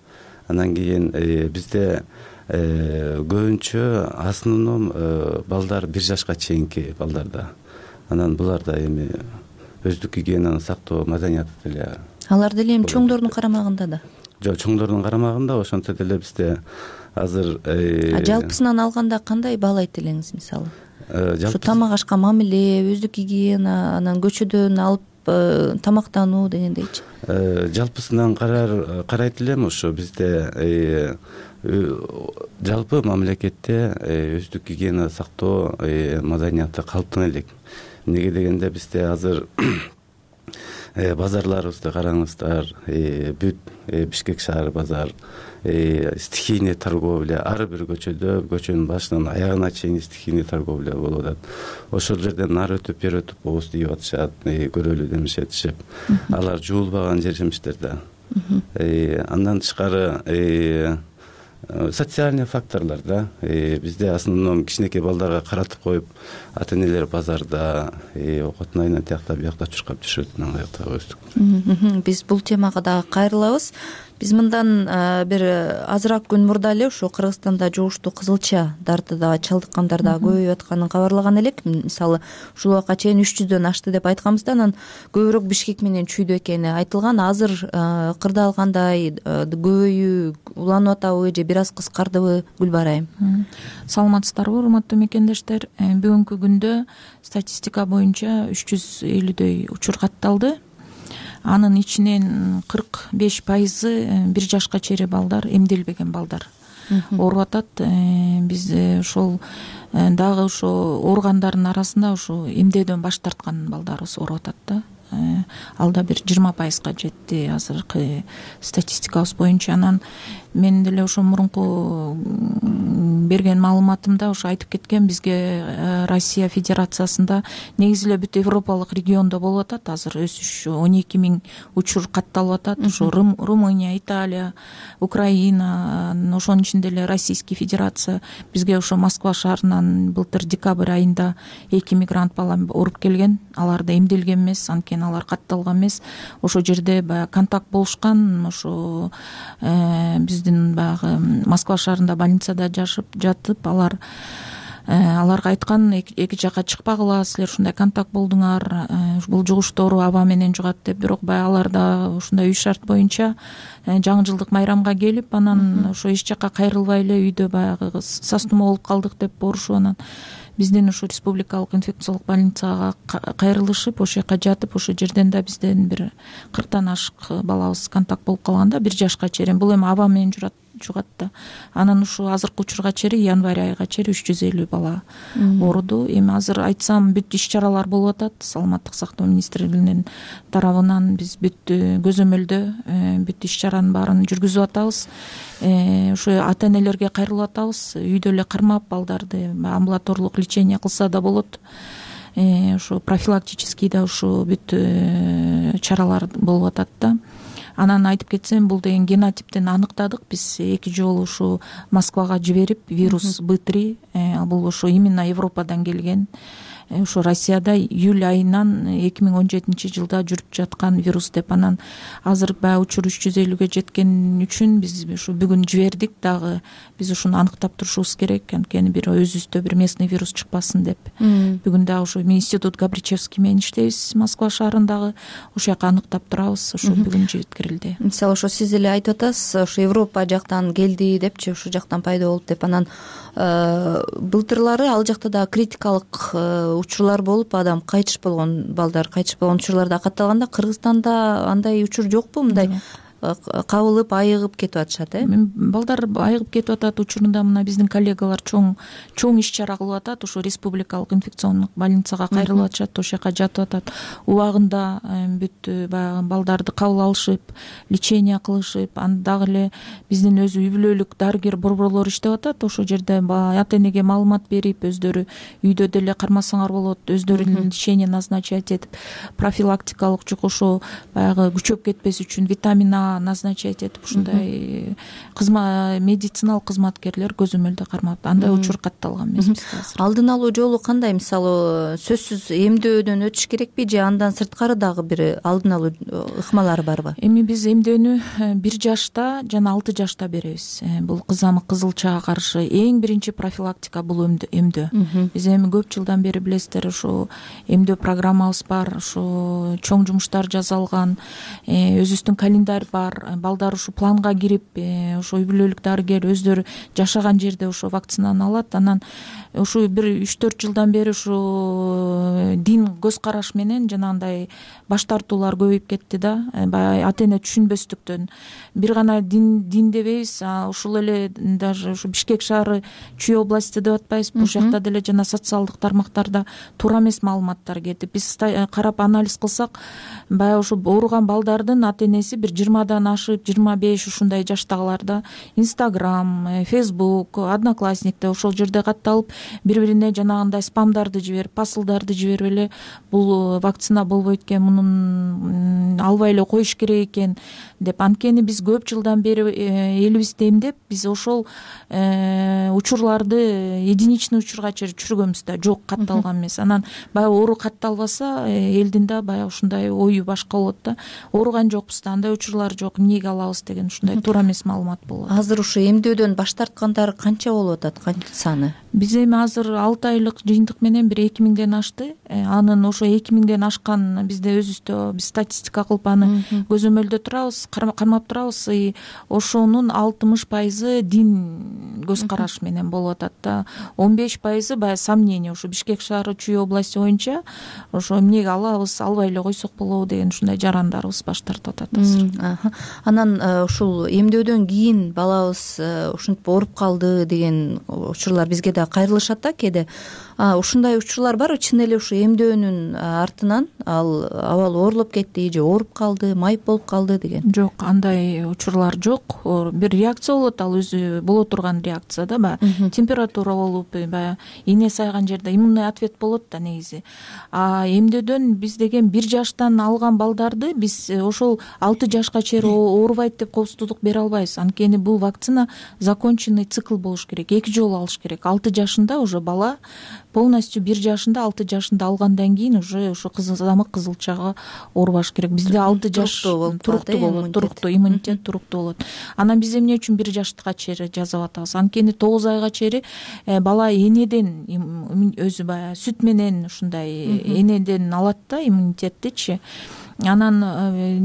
S4: Анан кийин бизде көбүнчө основном балдар 1 жашка чейинки балдарда. Анан буларда эми өздүк гигиенаны сактоо маданияты деле.
S16: Алар деле эми чоңдордун карамагында да.
S4: Жок, чоңдордун карамагында, ошентсе деле бизде азыр
S16: жалпысынан алганда кандай баалайт элеңиз, мисалы? Ушу тамак ашка мамиле, өздүк гигиена, анан көчөдөн алып тамактануу дегендейчи.
S4: Жалпысынан карайт элем, ошо бизде жалпы мамлекетте өздүк гигиена сактоо маданияты калыптана элек. Неге дегенде бизде азыр базарларыбызды караңыздар, бүт Бишкек шаар базар, стихийный торговля, ар бир көчөнүн башынан аягына чейин стихийный торговля болуп атат. Ошол жерден нары өтүп, бери өтүп ооз тийип атышат, көрөлү демишет. Алар жуулбаган жер-жемиштер да. Андан тышкары социальный факторлор да. Бизде основном кичинекей балдарга каратып коюп, ата-энелер базарда окотун айынан тиякта биякта чуркап жүрүшөт, аяктагы өздүк.
S16: Биз бул темага дагы кайрылабыз. Биз мындан бир азыраак күн мурда эле ошо Кыргызстанда жугуштуу кызылча дартыда чалдыккандар дагы көбөйүп атканын кабарлаган элек. Мисалы ушул убакка чейин 300дөн ашты деп айтканбыз да, анан көбүрөөк Бишкек менен Чүйдө экени айтылган. Азыр кырдаалгандай көбөйүү уланып атабы же бир аз кыскардыбы, Гүлбарайым?
S8: Саламатсыздарбы, урматтуу мекендештер? Бүгүнкү күндө статистика боюнча 350дөй учур катталды. Анын ичинен 45% 1 жашка чейин балдар, эмделбеген балдар ооруп атат. Биз ошол дагы ошо ооругандардын арасында ошо эмдөөдөн баш тарткан балдарыбыз ооруп атат да. Ал да бир 20%га жетти азыркы статистикабыз боюнча. Анан мен деле ошо мурунку берген маалыматымда ошо айтып кеткен, бизге Россия Федерациясында негизи эле бүт Европалык региондо болуп атат азыр өсүш. 12 000 учур катталып атат. Ошо Румыния, Италия, Украина, ошонун ичинде эле Российский Федерация. Бизге ошо Москва шаарынан былтыр декабрь айында 2 мигрант бала ооруп келген. Алар да эмделген эмес, анткени алар катталган эмес. Ошо жерде баягы контакт болушкан. Ошо биздин баягы Москва шаарында больницада жатып, аларга айткан, эки жака чыкпагыла, силер ушундай контакт болдуңар, бул жугуштуу оору аба менен жугат деп. Бирок баягы алар да ушундай үй шарт боюнча жаңы жылдык майрамга келип, анан ошо эч жака кайрылбай эле үйдө баягы састуума болуп калдык деп борушуп, анан биздин ошо республикалык инфекциялык больницага кайрылышып, ошол жака жатып, ошол жерден да бизден бир 40тан ашык балабыз контакт болуп калган да, 1 жашка чейин. Бул эми аба менен жугат да. Анан ушу азыркы учурга чейин, январь айга чейин 350 бала ооруду. Эми азыр айтсам бүт иш-чаралар болуп атат. Саламаттык сактоо министрлигинин тарабынан биз бүт көзөмөлдө бүт иш-чаранын баарын жүргүзүп атабыз. Ошо ата-энелерге кайрылып атабыз. Үйдө эле кармап балдарды амбулаторлук лечение кылса да болот. Ошо профилактический да ошо бүт чаралар болуп атат да. Анан айтып кетсем, бул деген генотиптен аныктадык. Биз 2 жолу ушу Москвага жиберип, вирус Б3, бул ошо именно Европадан келген. Ошо Россияда июль айынан 2017 жылда жүрүп жаткан вирус деп. Анан азыр баягы учур 350ге жеткен үчүн биз ушу бүгүн жибердик дагы. Биз ушуну аныктап турушубуз керек, анткени бир өзүбүздө бир местный вирус чыкпасын деп. Бүгүн дагы ушу институт Габричевский менен иштейбиз Москва шаарындагы. Ошол жака аныктап турабыз. Ошо бүгүн жеткирилди.
S16: Мисалы ошо сиз эле айтып атасыз, ошо Европа жактан келди депчи, ошол жактан пайда болду деп. Анан былтырлары ал жакта да критикалык учурлар болуп, адам кайтыш болгон, балдар кайтыш болгон учурлар да катталганда, Кыргызстанда андай учур жокпу? Мындай кабылып айыгып кетип атышат.
S8: Балдар айыгып кетип атат. Учурунда мына биздин коллегалар чоң иш чара кылып атат. Ушу республикалык инфекциондук больницага кайрылып атышат, ошол жака жатып атат. Убагында бүт баягы балдарды кабыл алышып, лечение кылышып, анда дагы эле биздин өзү үй бүлөлүк дарыгер борборлор иштеп атат. Ошол жерде ата энеге маалымат берип, өздөрү үйдө деле кармасаңар болот, өздөрү лечение назначать этип, профилактикалык жугушу баягы күчөп кетпес үчүн витамин А назначать этип, ушундай медициналык кызматкерлер көзөмөлдө кармап, андай учур катталган эмес бизде азыр.
S16: Алдын алуу жолу кандай? Мисалы, сөзсүз эмдөөдөн өтүш керекпи же андан сырткары дагы бир алдын алуу ыкмалары барбы?
S8: Эми биз эмдөөнү 1 жашта жана 6 жашта беребиз. Бул кызамык, кызылчага каршы эң биринчи профилактика бул эмдөө. Биз эми көп жылдан бери билесиздер, ушу эмдөө программабыз бар, ушу чоң жумуштар жасалган, өзүбүздүн календарь бар. Балдар ушу планга кирип, ушу үй бүлөлүк дарыгер өздөрү жашаган жерде ушу вакцинаны алат. Анан ушу бир 3-4 жылдан бери ушу дин көз караш менен жанагындай баш тартуулар көбөйүп кетти да. Баягы ата эне түшүнбөстүктөн бир гана дин дебейбиз, ушул эле даже ушу Бишкек шаары Чүй области деп атпайбыз. Бул жакта деле жана социалдык тармактарда туура эмес маалыматтар кетип, биз карап анализ кылсак, баягы ушу ооруган балдардын ата энеси бир 20дан ашып, 25 ушундай жаштагыларда Instagram, Facebook, Одноклассникте ошол жерде катталып, бири-бирине жанагындай спамдарды жиберип, посылдарды жиберип эле бул вакцина болбойт экен, мунун албай эле коюш керек экен деп. Анткени биз көп жылдан бери элибизди эмдеп, биз ошол учурларды единичный учурга чейин түшүргөнбүз да, жок катталган эмес. Анан баягы оору катталбаса, элдин да баягы ушундай ою башка болот да. Ооруган жокпуз да, андай учурлар жок, эмнеге алабыз деген ушундай туура эмес маалымат болот.
S16: Азыр ушу эмдөөдөн баш тарткандар канча болуп атат, канча саны?
S8: Биз эми азыр 6 айлык жыйынтык менен бир 2000ден ашты. Анын ошо 2000ден ашкан бизде өзүбүздө биз статистика кылып аны көзөмөлдө турабыз, кармап турабыз. Ошонун 60% дин көз караш менен болуп атат да. 15% баягы сомнение, ушу Бишкек шаары Чүй области боюнча ошо эмнеге алабыз, албай эле койсок болобу деген ушундай жарандарыбыз баш тартып атат азыр.
S16: Анан ушул эмдөөдөн кийин балабыз ушинтип ооруп калды деген учурлар бизге да кайрылышат да кээде. Ушундай учурлар барбы? Чын эле ушу эмдөөнүн артынан ал абал оорлоп кетти же ооруп калды, майып болуп калды деген?
S8: Жок, андай учурлар жок. Бир реакция болот, ал өзү боло турган реакция да, баягы температура болуп, баягы ийне сайган жерде иммунный ответ болот да негизи. Эмдөөдөн биз деген 1 жаштан алган балдарды биз ошол 6 жашка чейин оорубайт деп коопсуздук бере албайбыз. Анткени бул вакцина законченный цикл болуш керек, 2 жолу алыш керек. 6 жашында уже бала полностью 1 жашында 6 жашында алгандан кийин уже ошо кызамык, кызылчага оорубаш керек. Бизде 6 жаш туруктуу болот, туруктуу иммунитет туруктуу болот. Анан биз эмне үчүн 1 жаштыкка чейин жазып атабыз? Анткени 9 айга чейин бала энеден өзү баягы сүт менен ушундай энеден алат да иммунитеттичи. Анан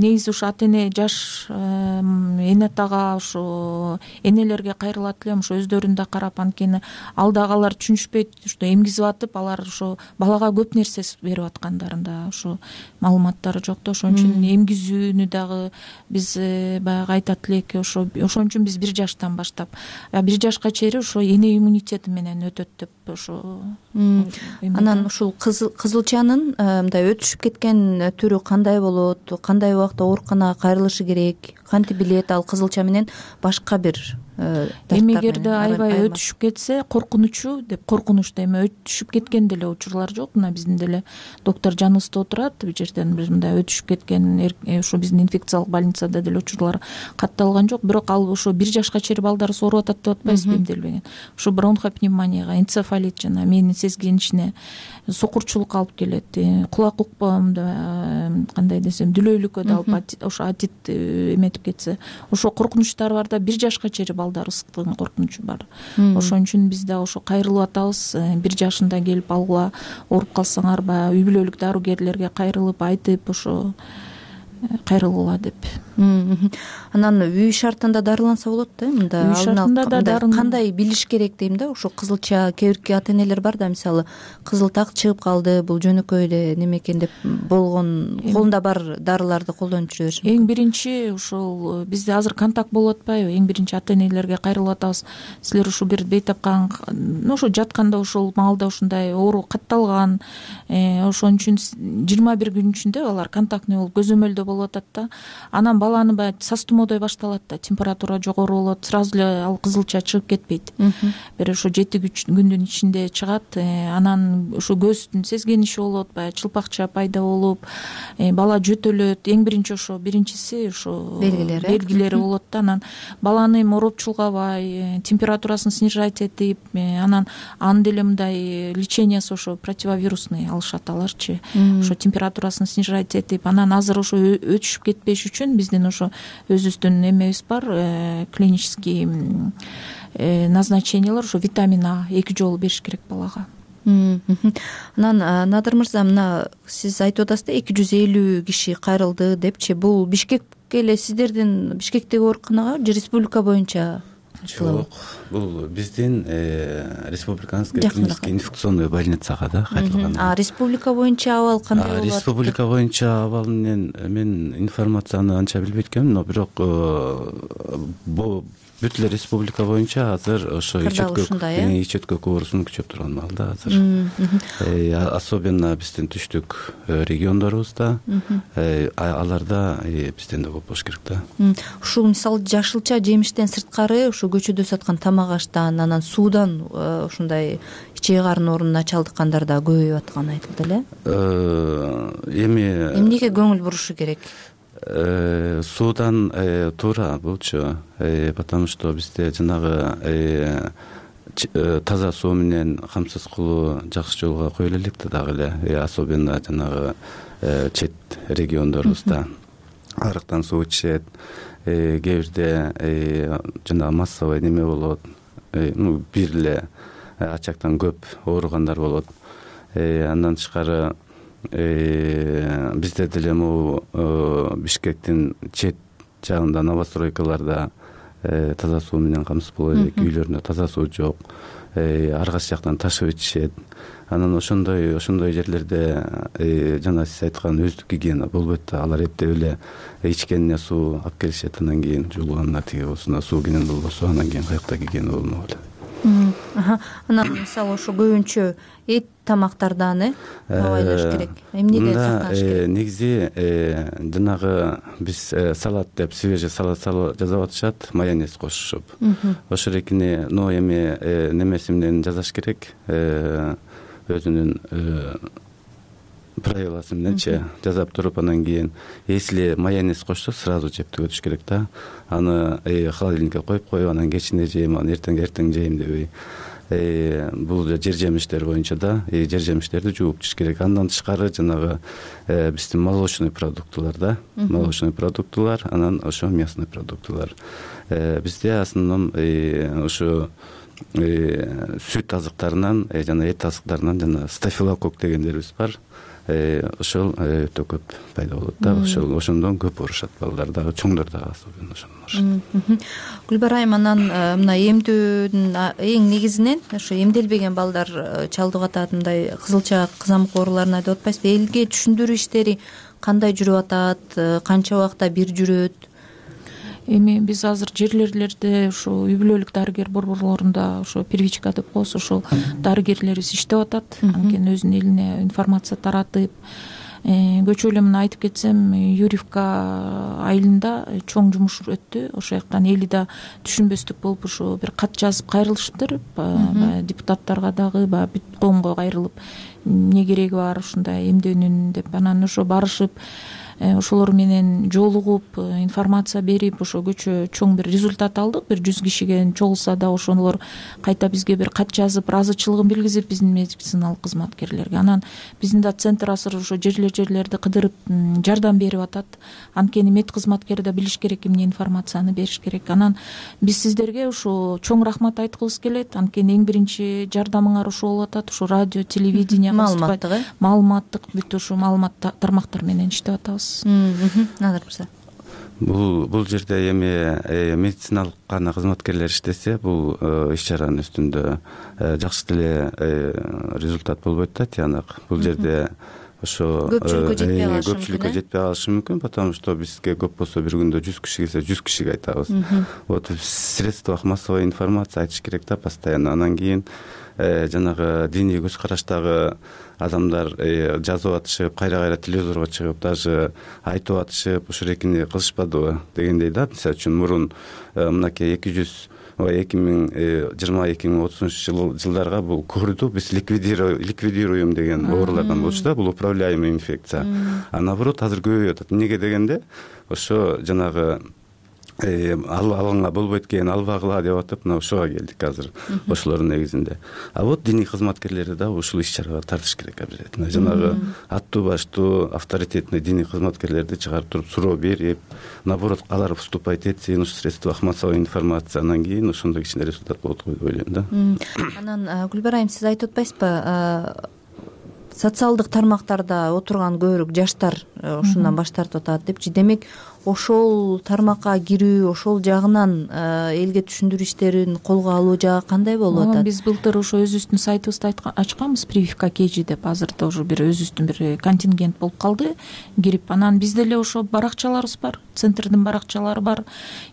S8: негизи ушу ата эне жаш эне атага ушу энелерге кайрылат элем, ушу өздөрүн да карап, анткени алдагылар түшүнүшпөйт, ушу эмгизип атып, алар ушу балага көп нерсе берип аткандарында ушу маалыматтары жок да. Ошон үчүн эмгизүүнү дагы биз баягы айтат элек, ошон үчүн биз 1 жаштан баштап 1 жашка чейин ошо эне иммунитети менен өтөт деп ошо.
S16: Анан ушул кызылчанын мындай өтүшүп кеткен түрү кандай болот, кандай убакта ооруканага кайрылышы керек, кантип билет ал кызылча менен башка бир
S8: эмегерде аябай өтүшүп кетсе, коркунучу деп, коркунучта эми өтүшүп кеткен деле учурлар жок. Мына биздин деле доктор жаныбызда отурат, бул жерден бир мындай өтүшүп кеткен ушу биздин инфекциялык больницада деле учурлар катталган жок. Бирок ал ошо 1 жашка чейин балдарыбыз ооруп атат деп атпайбызбы эмделбеген. Ушу бронхопневмонияга, энцефалит жана мээнин сезгенишине, сокурчулукка алып келет, кулак укпагымда кандай десем дүлөйлүккө да алып, ошо атит эметип кетсе, ошо коркунучтар бар да. 1 жашка чейин балдар ысыктын коркунучу бар. Ошон үчүн биз да ошо кайрылып атабыз. 1 жашында келип алгыла, ооруп калсаңар баягы үй бүлөлүк дарыгерлерге кайрылып айтып ошо кайрылгыла деп.
S16: Анан үй шартында дарыланса болот да, мында
S8: үй шартында да
S16: кандай билиш керек дейм да, ошо кызылча кээ бирки ата энелер бар да, мисалы кызыл так чыгып калды, бул жөнөкөй эле неме экен деп болгон колунда бар дарыларды колдонуп жүрө бериши.
S8: Эң биринчи ошол бизде азыр контакт болуп атпайбы, эң биринчи ата энелерге кайрылып атабыз. Силер ушу бир бейтапкан ошо жатканда ошол маалда ушундай оору катталган, ошон үчүн 21 күн ичинде алар контактный болуп көзөмөлдө болуп атат да. Анан баланы баягы састумоодой башталат да, температура жогору болот, сразу эле ал кызылча чыгып кетпейт. Бир ошо 7 күндүн ичинде чыгат. Анан ошо көздүн сезгениши болот, баягы чылпакча пайда болуп, бала жөтөлөт. Эң биринчи ошо биринчиси ошо белгилери болот да. Анан баланы ороп чулгабай, температурасын снижать этип, анан аны деле мындай лечениясы ошо противовирусный алышат аларчы. Ошо температурасын снижать этип, анан азыр ошо өтүшүп кетпеш үчүн биздин ошо өзүбүздүн эмебиз бар, клинический назначениялар, ошо витамин А 2 жолу бериш керек балага.
S16: Анан Надыр мырза, мына сиз айтып атасыз да 250 киши кайрылды депчи, бул Бишкекке эле сиздердин Бишкектеги ооруканага же республика боюнча?
S4: Жок, бул биздин республиканский клинический инфекционный больницага да кайрылган.
S16: Республика боюнча абал кандай болот?
S4: Республика боюнча абал менен мен информацияны анча билбейт экенмин, но бирок бүт эле республика боюнча азыр ошо ич өткөк оорусунун күчөп турган маалда азыр. Особенно биздин түштүк региондорубузда, аларда бизден да көп болуш керек да.
S16: Ушул мисалы жашылча жемиштен сырткары ошо көчөдө саткан тамак аштан, анан суудан ушундай ичек карын оорунуна чалдыккандар да көбөйүп атканы айтылды эле. Эмнеге көңүл бурушу керек?
S4: Суудан туура булчу, потому что бизде жанагы таза суу менен камсыз кылуу жакшы жолго коюла элек да дагы эле, особенно жанагы чет региондорубузда арыктан суу ичишет, кээ бирде жанагы массовый неме болот, бир эле ачактан көп ооругандар болот. Андан тышкары бизде деле могу Бишкектин чет жагында новостройкаларда таза суу менен камсыз боло элек, үйлөрүндө таза суу жок, ар кайсы жактан ташып ичишет. Анан ошондой жерлерде жана сиз айткан өздүк гигиена болбойт да, алар эптеп эле ичкенине суу алып келишет, анан кийин жуулганына тиги болсун, суу кенен болбосо анан кийин каякта гигиена болмок эле.
S16: Анан мисалы ошо көбүнчө эт тамактардан абайлаш керек. Эмнеге сакташ керек?
S4: Негизи жанагы биз салат деп, свежий салат жасап атышат, майонез кошушуп. Ошол экини эми немеси менен жасаш керек, өзүнүн правиласы мененчи жасап туруп, анан кийин если майонез кошсо сразу жеп түгөтүш керек да. Аны холодильникке коюп, анан кечинде жейм, анан эртең жейм дебей. Бул жер жемиштер боюнча да, жер жемиштерди жууп жеш керек. Андан тышкары жанагы биздин молочный продуктылар да, молочный продуктылар, анан ошо мясной продуктылар. Бизде основном ошо сүт азыктарынан жана эт азыктарынан жана стафилококк дегендерибиз бар. Ошол өтө көп пайда болот да, ошондон көп оорушат балдар дагы, чоңдор дагы особенно ошондон.
S16: Гүлбар айым, анан мына эмдөөдүн эң негизинен ошо эмделбеген балдар чалдыгып атат, мындай кызылча кызамык ооруларын айтып атпайсызбы? Элге түшүндүрүү иштери кандай жүрүп атат, канча убакта бир жүрөт?
S8: Эми биз азыр жерлерлерде ошо үй бүлөлүк дарыгер борборлорунда ошо первичка деп коебуз, ошол дарыгерлерибиз иштеп атат. Анткени өзүнүн элине информация таратып, көчө эле мына айтып кетсем, Юрьевка айылында чоң жумуш өттү. Ошол жактан эли да түшүнбөстүк болуп ошо бир кат жазып кайрылыштыр, депутаттарга дагы, бүт коомго кайрылып, эмне кереги бар ушундай эмдөөнүн деп. Анан ошо барышып, ошолор менен жолугуп, информация берип, ошо көчө чоң бир результат алдык. Бир 100 кишиге чогулса да ошолор кайта бизге бир кат жазып, ыраазычылыгын билгизип биздин медициналык кызматкерлерге. Анан биздин да центр азыр ошо жерлерди кыдырып жардам берип атат. Анткени мед кызматкери да билиш керек, эмне информацияны бериш керек. Анан биз сиздерге ошо чоң рахмат айткыбыз келет. Анткени эң биринчи жардамыңар ошо болуп атат. Ошо радио, телевидение, маалыматтык бүт ошо маалымат тармактар менен иштеп атабыз.
S16: Надыр мырза.
S4: Бул жерде эми медициналык гана кызматкерлер иштесе, бул иш чаранын үстүндө жакшы деле результат болбойт да, тыянак. Бул жерде ошо көпчүлүккө жетпей калышы мүмкүн, потому что бизге көп болсо бир күндө 100 киши келсе 100 кишиге айтабыз. Вот в средствах массовой информации айтыш керек да постоянно. Анан кийин жанагы диний көз караштагы адамдар жазып атышып, кайра телевизорго чыгып даже айтып атышып, ушул экини кылышпадыбы дегендей да. Мисалы үчүн мурун мынакей 2020-2030 жылдарга бул көрдү, биз ликвидируем деген оорулардан болчу да, бул управляемый инфекция. А наоборот азыр көбөйүп атат. Эмнеге дегенде ошо жанагы алганга болбойт экен, албагыла деп атып, мына ошого келдик азыр ошолордун негизинде. А вот диний кызматкерлерди да ушул иш чарага тартыш керек обязательно. Жанагы аттуу баштуу авторитетный диний кызматкерлерди чыгарып туруп суроо берип, наоборот алар выступать этсин ушу средствах массовой информации, анан кийин ошондой кичине результат болот деп ойлойм да.
S16: Анан Гүлбар айым, сиз айтып атпайсызбы, социалдык тармактарда отурган көбүрөөк жаштар ушундан баш тартып атат депчи. Демек ошол тармакка кирүү, ошол жагынан элге түшүндүрүү иштерин колго алуу жагы кандай болуп атат?
S8: Биз былтыр ошо өзүбүздүн сайтыбызды ачканбыз, прививка KG деп. Азыр да уже бир өзүбүздүн бир контингент болуп калды кирип. Анан бизде эле ошо баракчаларыбыз бар, центрдин баракчалары бар.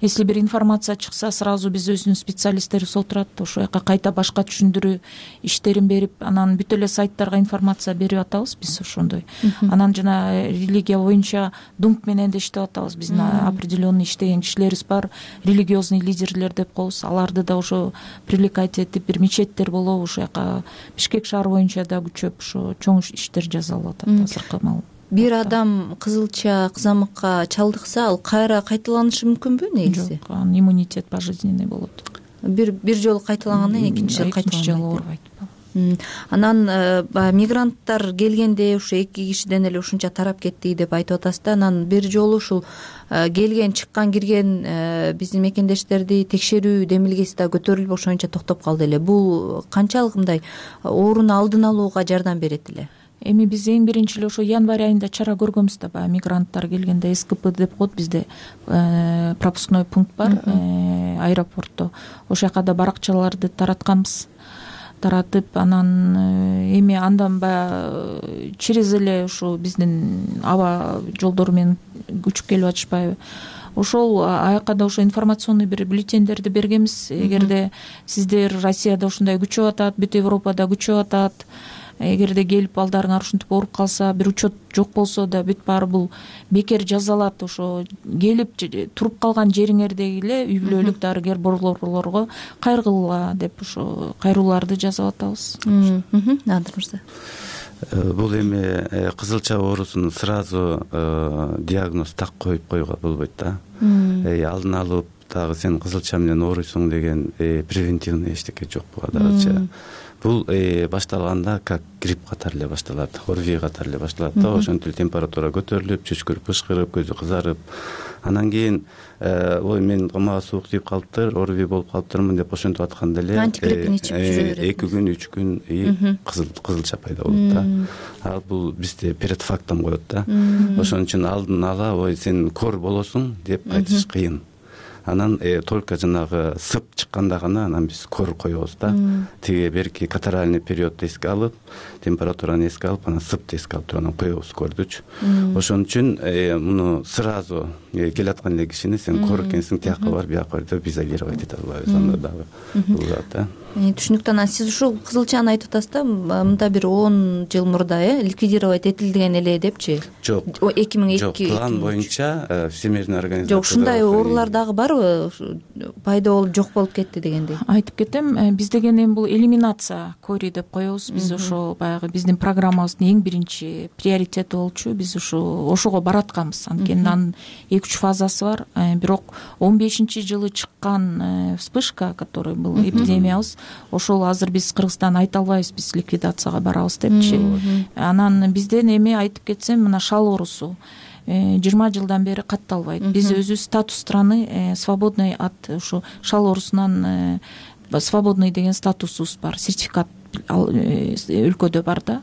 S8: Если бир информация чыкса, сразу биз өзүнүн специалисттерибиз отурат, ошол жака кайта башка түшүндүрүү иштерин берип, анан бүт эле сайттарга информация берип атабыз биз ошондой. Анан жана религия боюнча дунк менен да иштеп атабыз. Биздин определенный иштеген кишилерибиз бар, религиозный лидерлер деп коебуз. Аларды да ошо привлекать этип, бир мечеттер болобу, ошол жака Бишкек шаар боюнча да күчөп ошо чоң иштер жасалып атат азыркы маал.
S16: Бир адам кызылча кызамыкка чалдыкса, ал кайра кайталанышы мүмкүнбү негизи?
S8: Жок, анын иммунитет пожизненный болот.
S16: Бир жолу кайталагандан кийин экинчи жолу
S8: оорубайт.
S16: Анан мигранттар келгенде ушу 2 кишиден эле ушунча тарап кетти деп айтып атасыз да. Анан бир жолу ушул келген, чыккан, кирген биздин мекендештерди текшерүү демилгеси да көтөрүлүп ошончо токтоп калды эле. Бул канчалык мындай ооруну алдын алууга жардам берет эле?
S8: Эми биз эң биринчи эле ошо январь айында чара көргөнбүз да, баягы мигранттар келгенде СКП деп коет бизде, пропускной пункт бар аэропортто. Ошол жака да баракчаларды таратканбыз. Таратып, анан эми андан баягы через эле ушу биздин аба жолдору менен көчүп келип атышпайбы. Ошол аяка да ошо информационный бир бюллетендерди бергенбиз. Эгерде сиздер Россияда ушундай күчөп атат, бүт Европада күчөп атат, эгерде келип балдарыңар ушинтип ооруп калса, бир учет жок болсо да бүт баары бул бекер жазалат. Ошо келип туруп калган жериңердеги эле үй бүлөлүк дарыгер борборлорго кайрылгыла деп ошо кайрууларды жазып атабыз.
S16: Надыр мырза.
S4: Бул эми кызылча оорусун сразу диагноз так коюп койууга болбойт да. Алдын алып дагы сен кызылча менен ооруйсуң деген превентивный эчтеке жок буга дагычы. Бул башталганда как грипп катары эле башталат, ОРВИ катары эле башталат да. Ошентип эле температура көтөрүлүп, чөчкүрүп, бышкырып, көзү кызарып, анан кийин ой мен мага суук тийип калыптыр, ОРВИ болуп калыптырмын деп ошентип атканда эле
S16: антигриппин ичип жүрө берет.
S4: 2 күн, 3 күн кызылча пайда болот да. Ал бул бизде перед фактом коет да. Ошон үчүн алдын ала ой сен кор болосуң деп айтыш кыйын. Анан только жанагы сып чыкканда гана анан биз кор коебуз да. Тиги берки катаральный периодду эске алып, температураны эске алып, анан сыпты эске алып туруп анан коебуз кордучу. Ошон үчүн муну сразу келаткан эле кишини сен кор экенсиң, тияка бар, бияка бар деп изолировать эте албайбыз анда дагы. Да.
S16: Түшүнүктүү. Анан сиз ушул кызылчаны айтып атасыз да, мында бир 10 жыл мурда ликвидировать этилген эле депчи?
S4: Жок.
S16: 2002.
S4: Жок, план боюнча Всемирный организация.
S16: Жок, ушундай оорулар дагы барбы? Пайда болуп жок болуп кетти дегендей.
S8: Айтып кетем, биз деген эми бул элиминация кори деп коебуз. Биз ошо баягы биздин программабыздын эң биринчи приоритети болчу. Биз ошого баратканбыз. Анткени анын 2-3 фазасы бар. Бирок 15-жылы чыккан вспышка, который был эпидемиябыз, ошол азыр биз Кыргызстан айта албайбыз, биз ликвидацияга барабыз депчи. Анан бизден эми айтып кетсем, мына шал оорусу 20 жылдан бери катталбайт. Биз өзүбүз статус страны свободный от ушу шал оорусунан свободный деген статусубуз бар, сертификат өлкөдө бар да.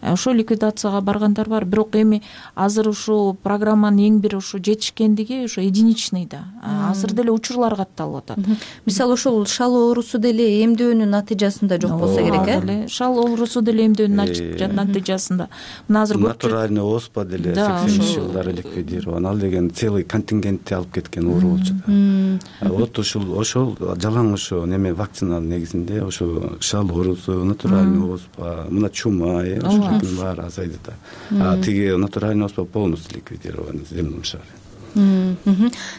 S8: ошо ликвидацияга баргандар бар. Бирок эми азыр ушул программанын эң бир ушу жетишкендиги ошо единичный да. Азыр деле учурлар катталып атат.
S16: Мисалы ошол шал оорусу деле эмдөөнүн натыйжасында жок болсо керек,
S8: шал оорусу деле эмдөөнүн натыйжасында. Мына азыр
S4: натуральный оспа деле 80 жылдары ликвидирован. Ал деген целый контингентти алып кеткен оору болчу да. Вот ошол жалаң ошо неме вакцинанын негизинде ошо шал оорусу, натуральный оспа, мына чума, ошолордун баары азайды да. Тиги натуральный оспа полностью ликвидирован в земном шаре.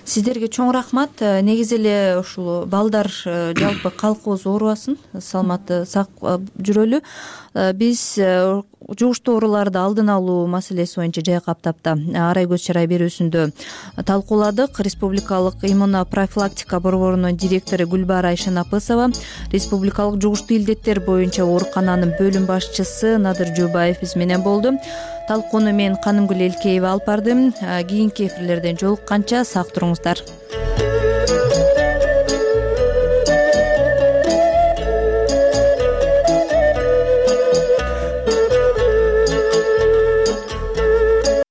S16: Сиздерге чоң рахмат. Негизи эле ушул балдар жалпы калкыбыз оорубасын, саламатты сак жүрөлү. Биз жугуштуу ооруларды алдын алуу маселеси боюнча жайкап тапта арай көз чарай берүүсүндө талкууладык. Республикалык иммунопрофилактика борборунун директору Гүлбара Айшанапысова, республикалык жугуштуу илдеттер боюнча оорукананын бөлүм башчысы Надыр Жубаев биз менен болду. Талкууну мен Канымгүл Элкеева алып бардым. Кийинки эфирлерден жолукканча сак туруңуздар.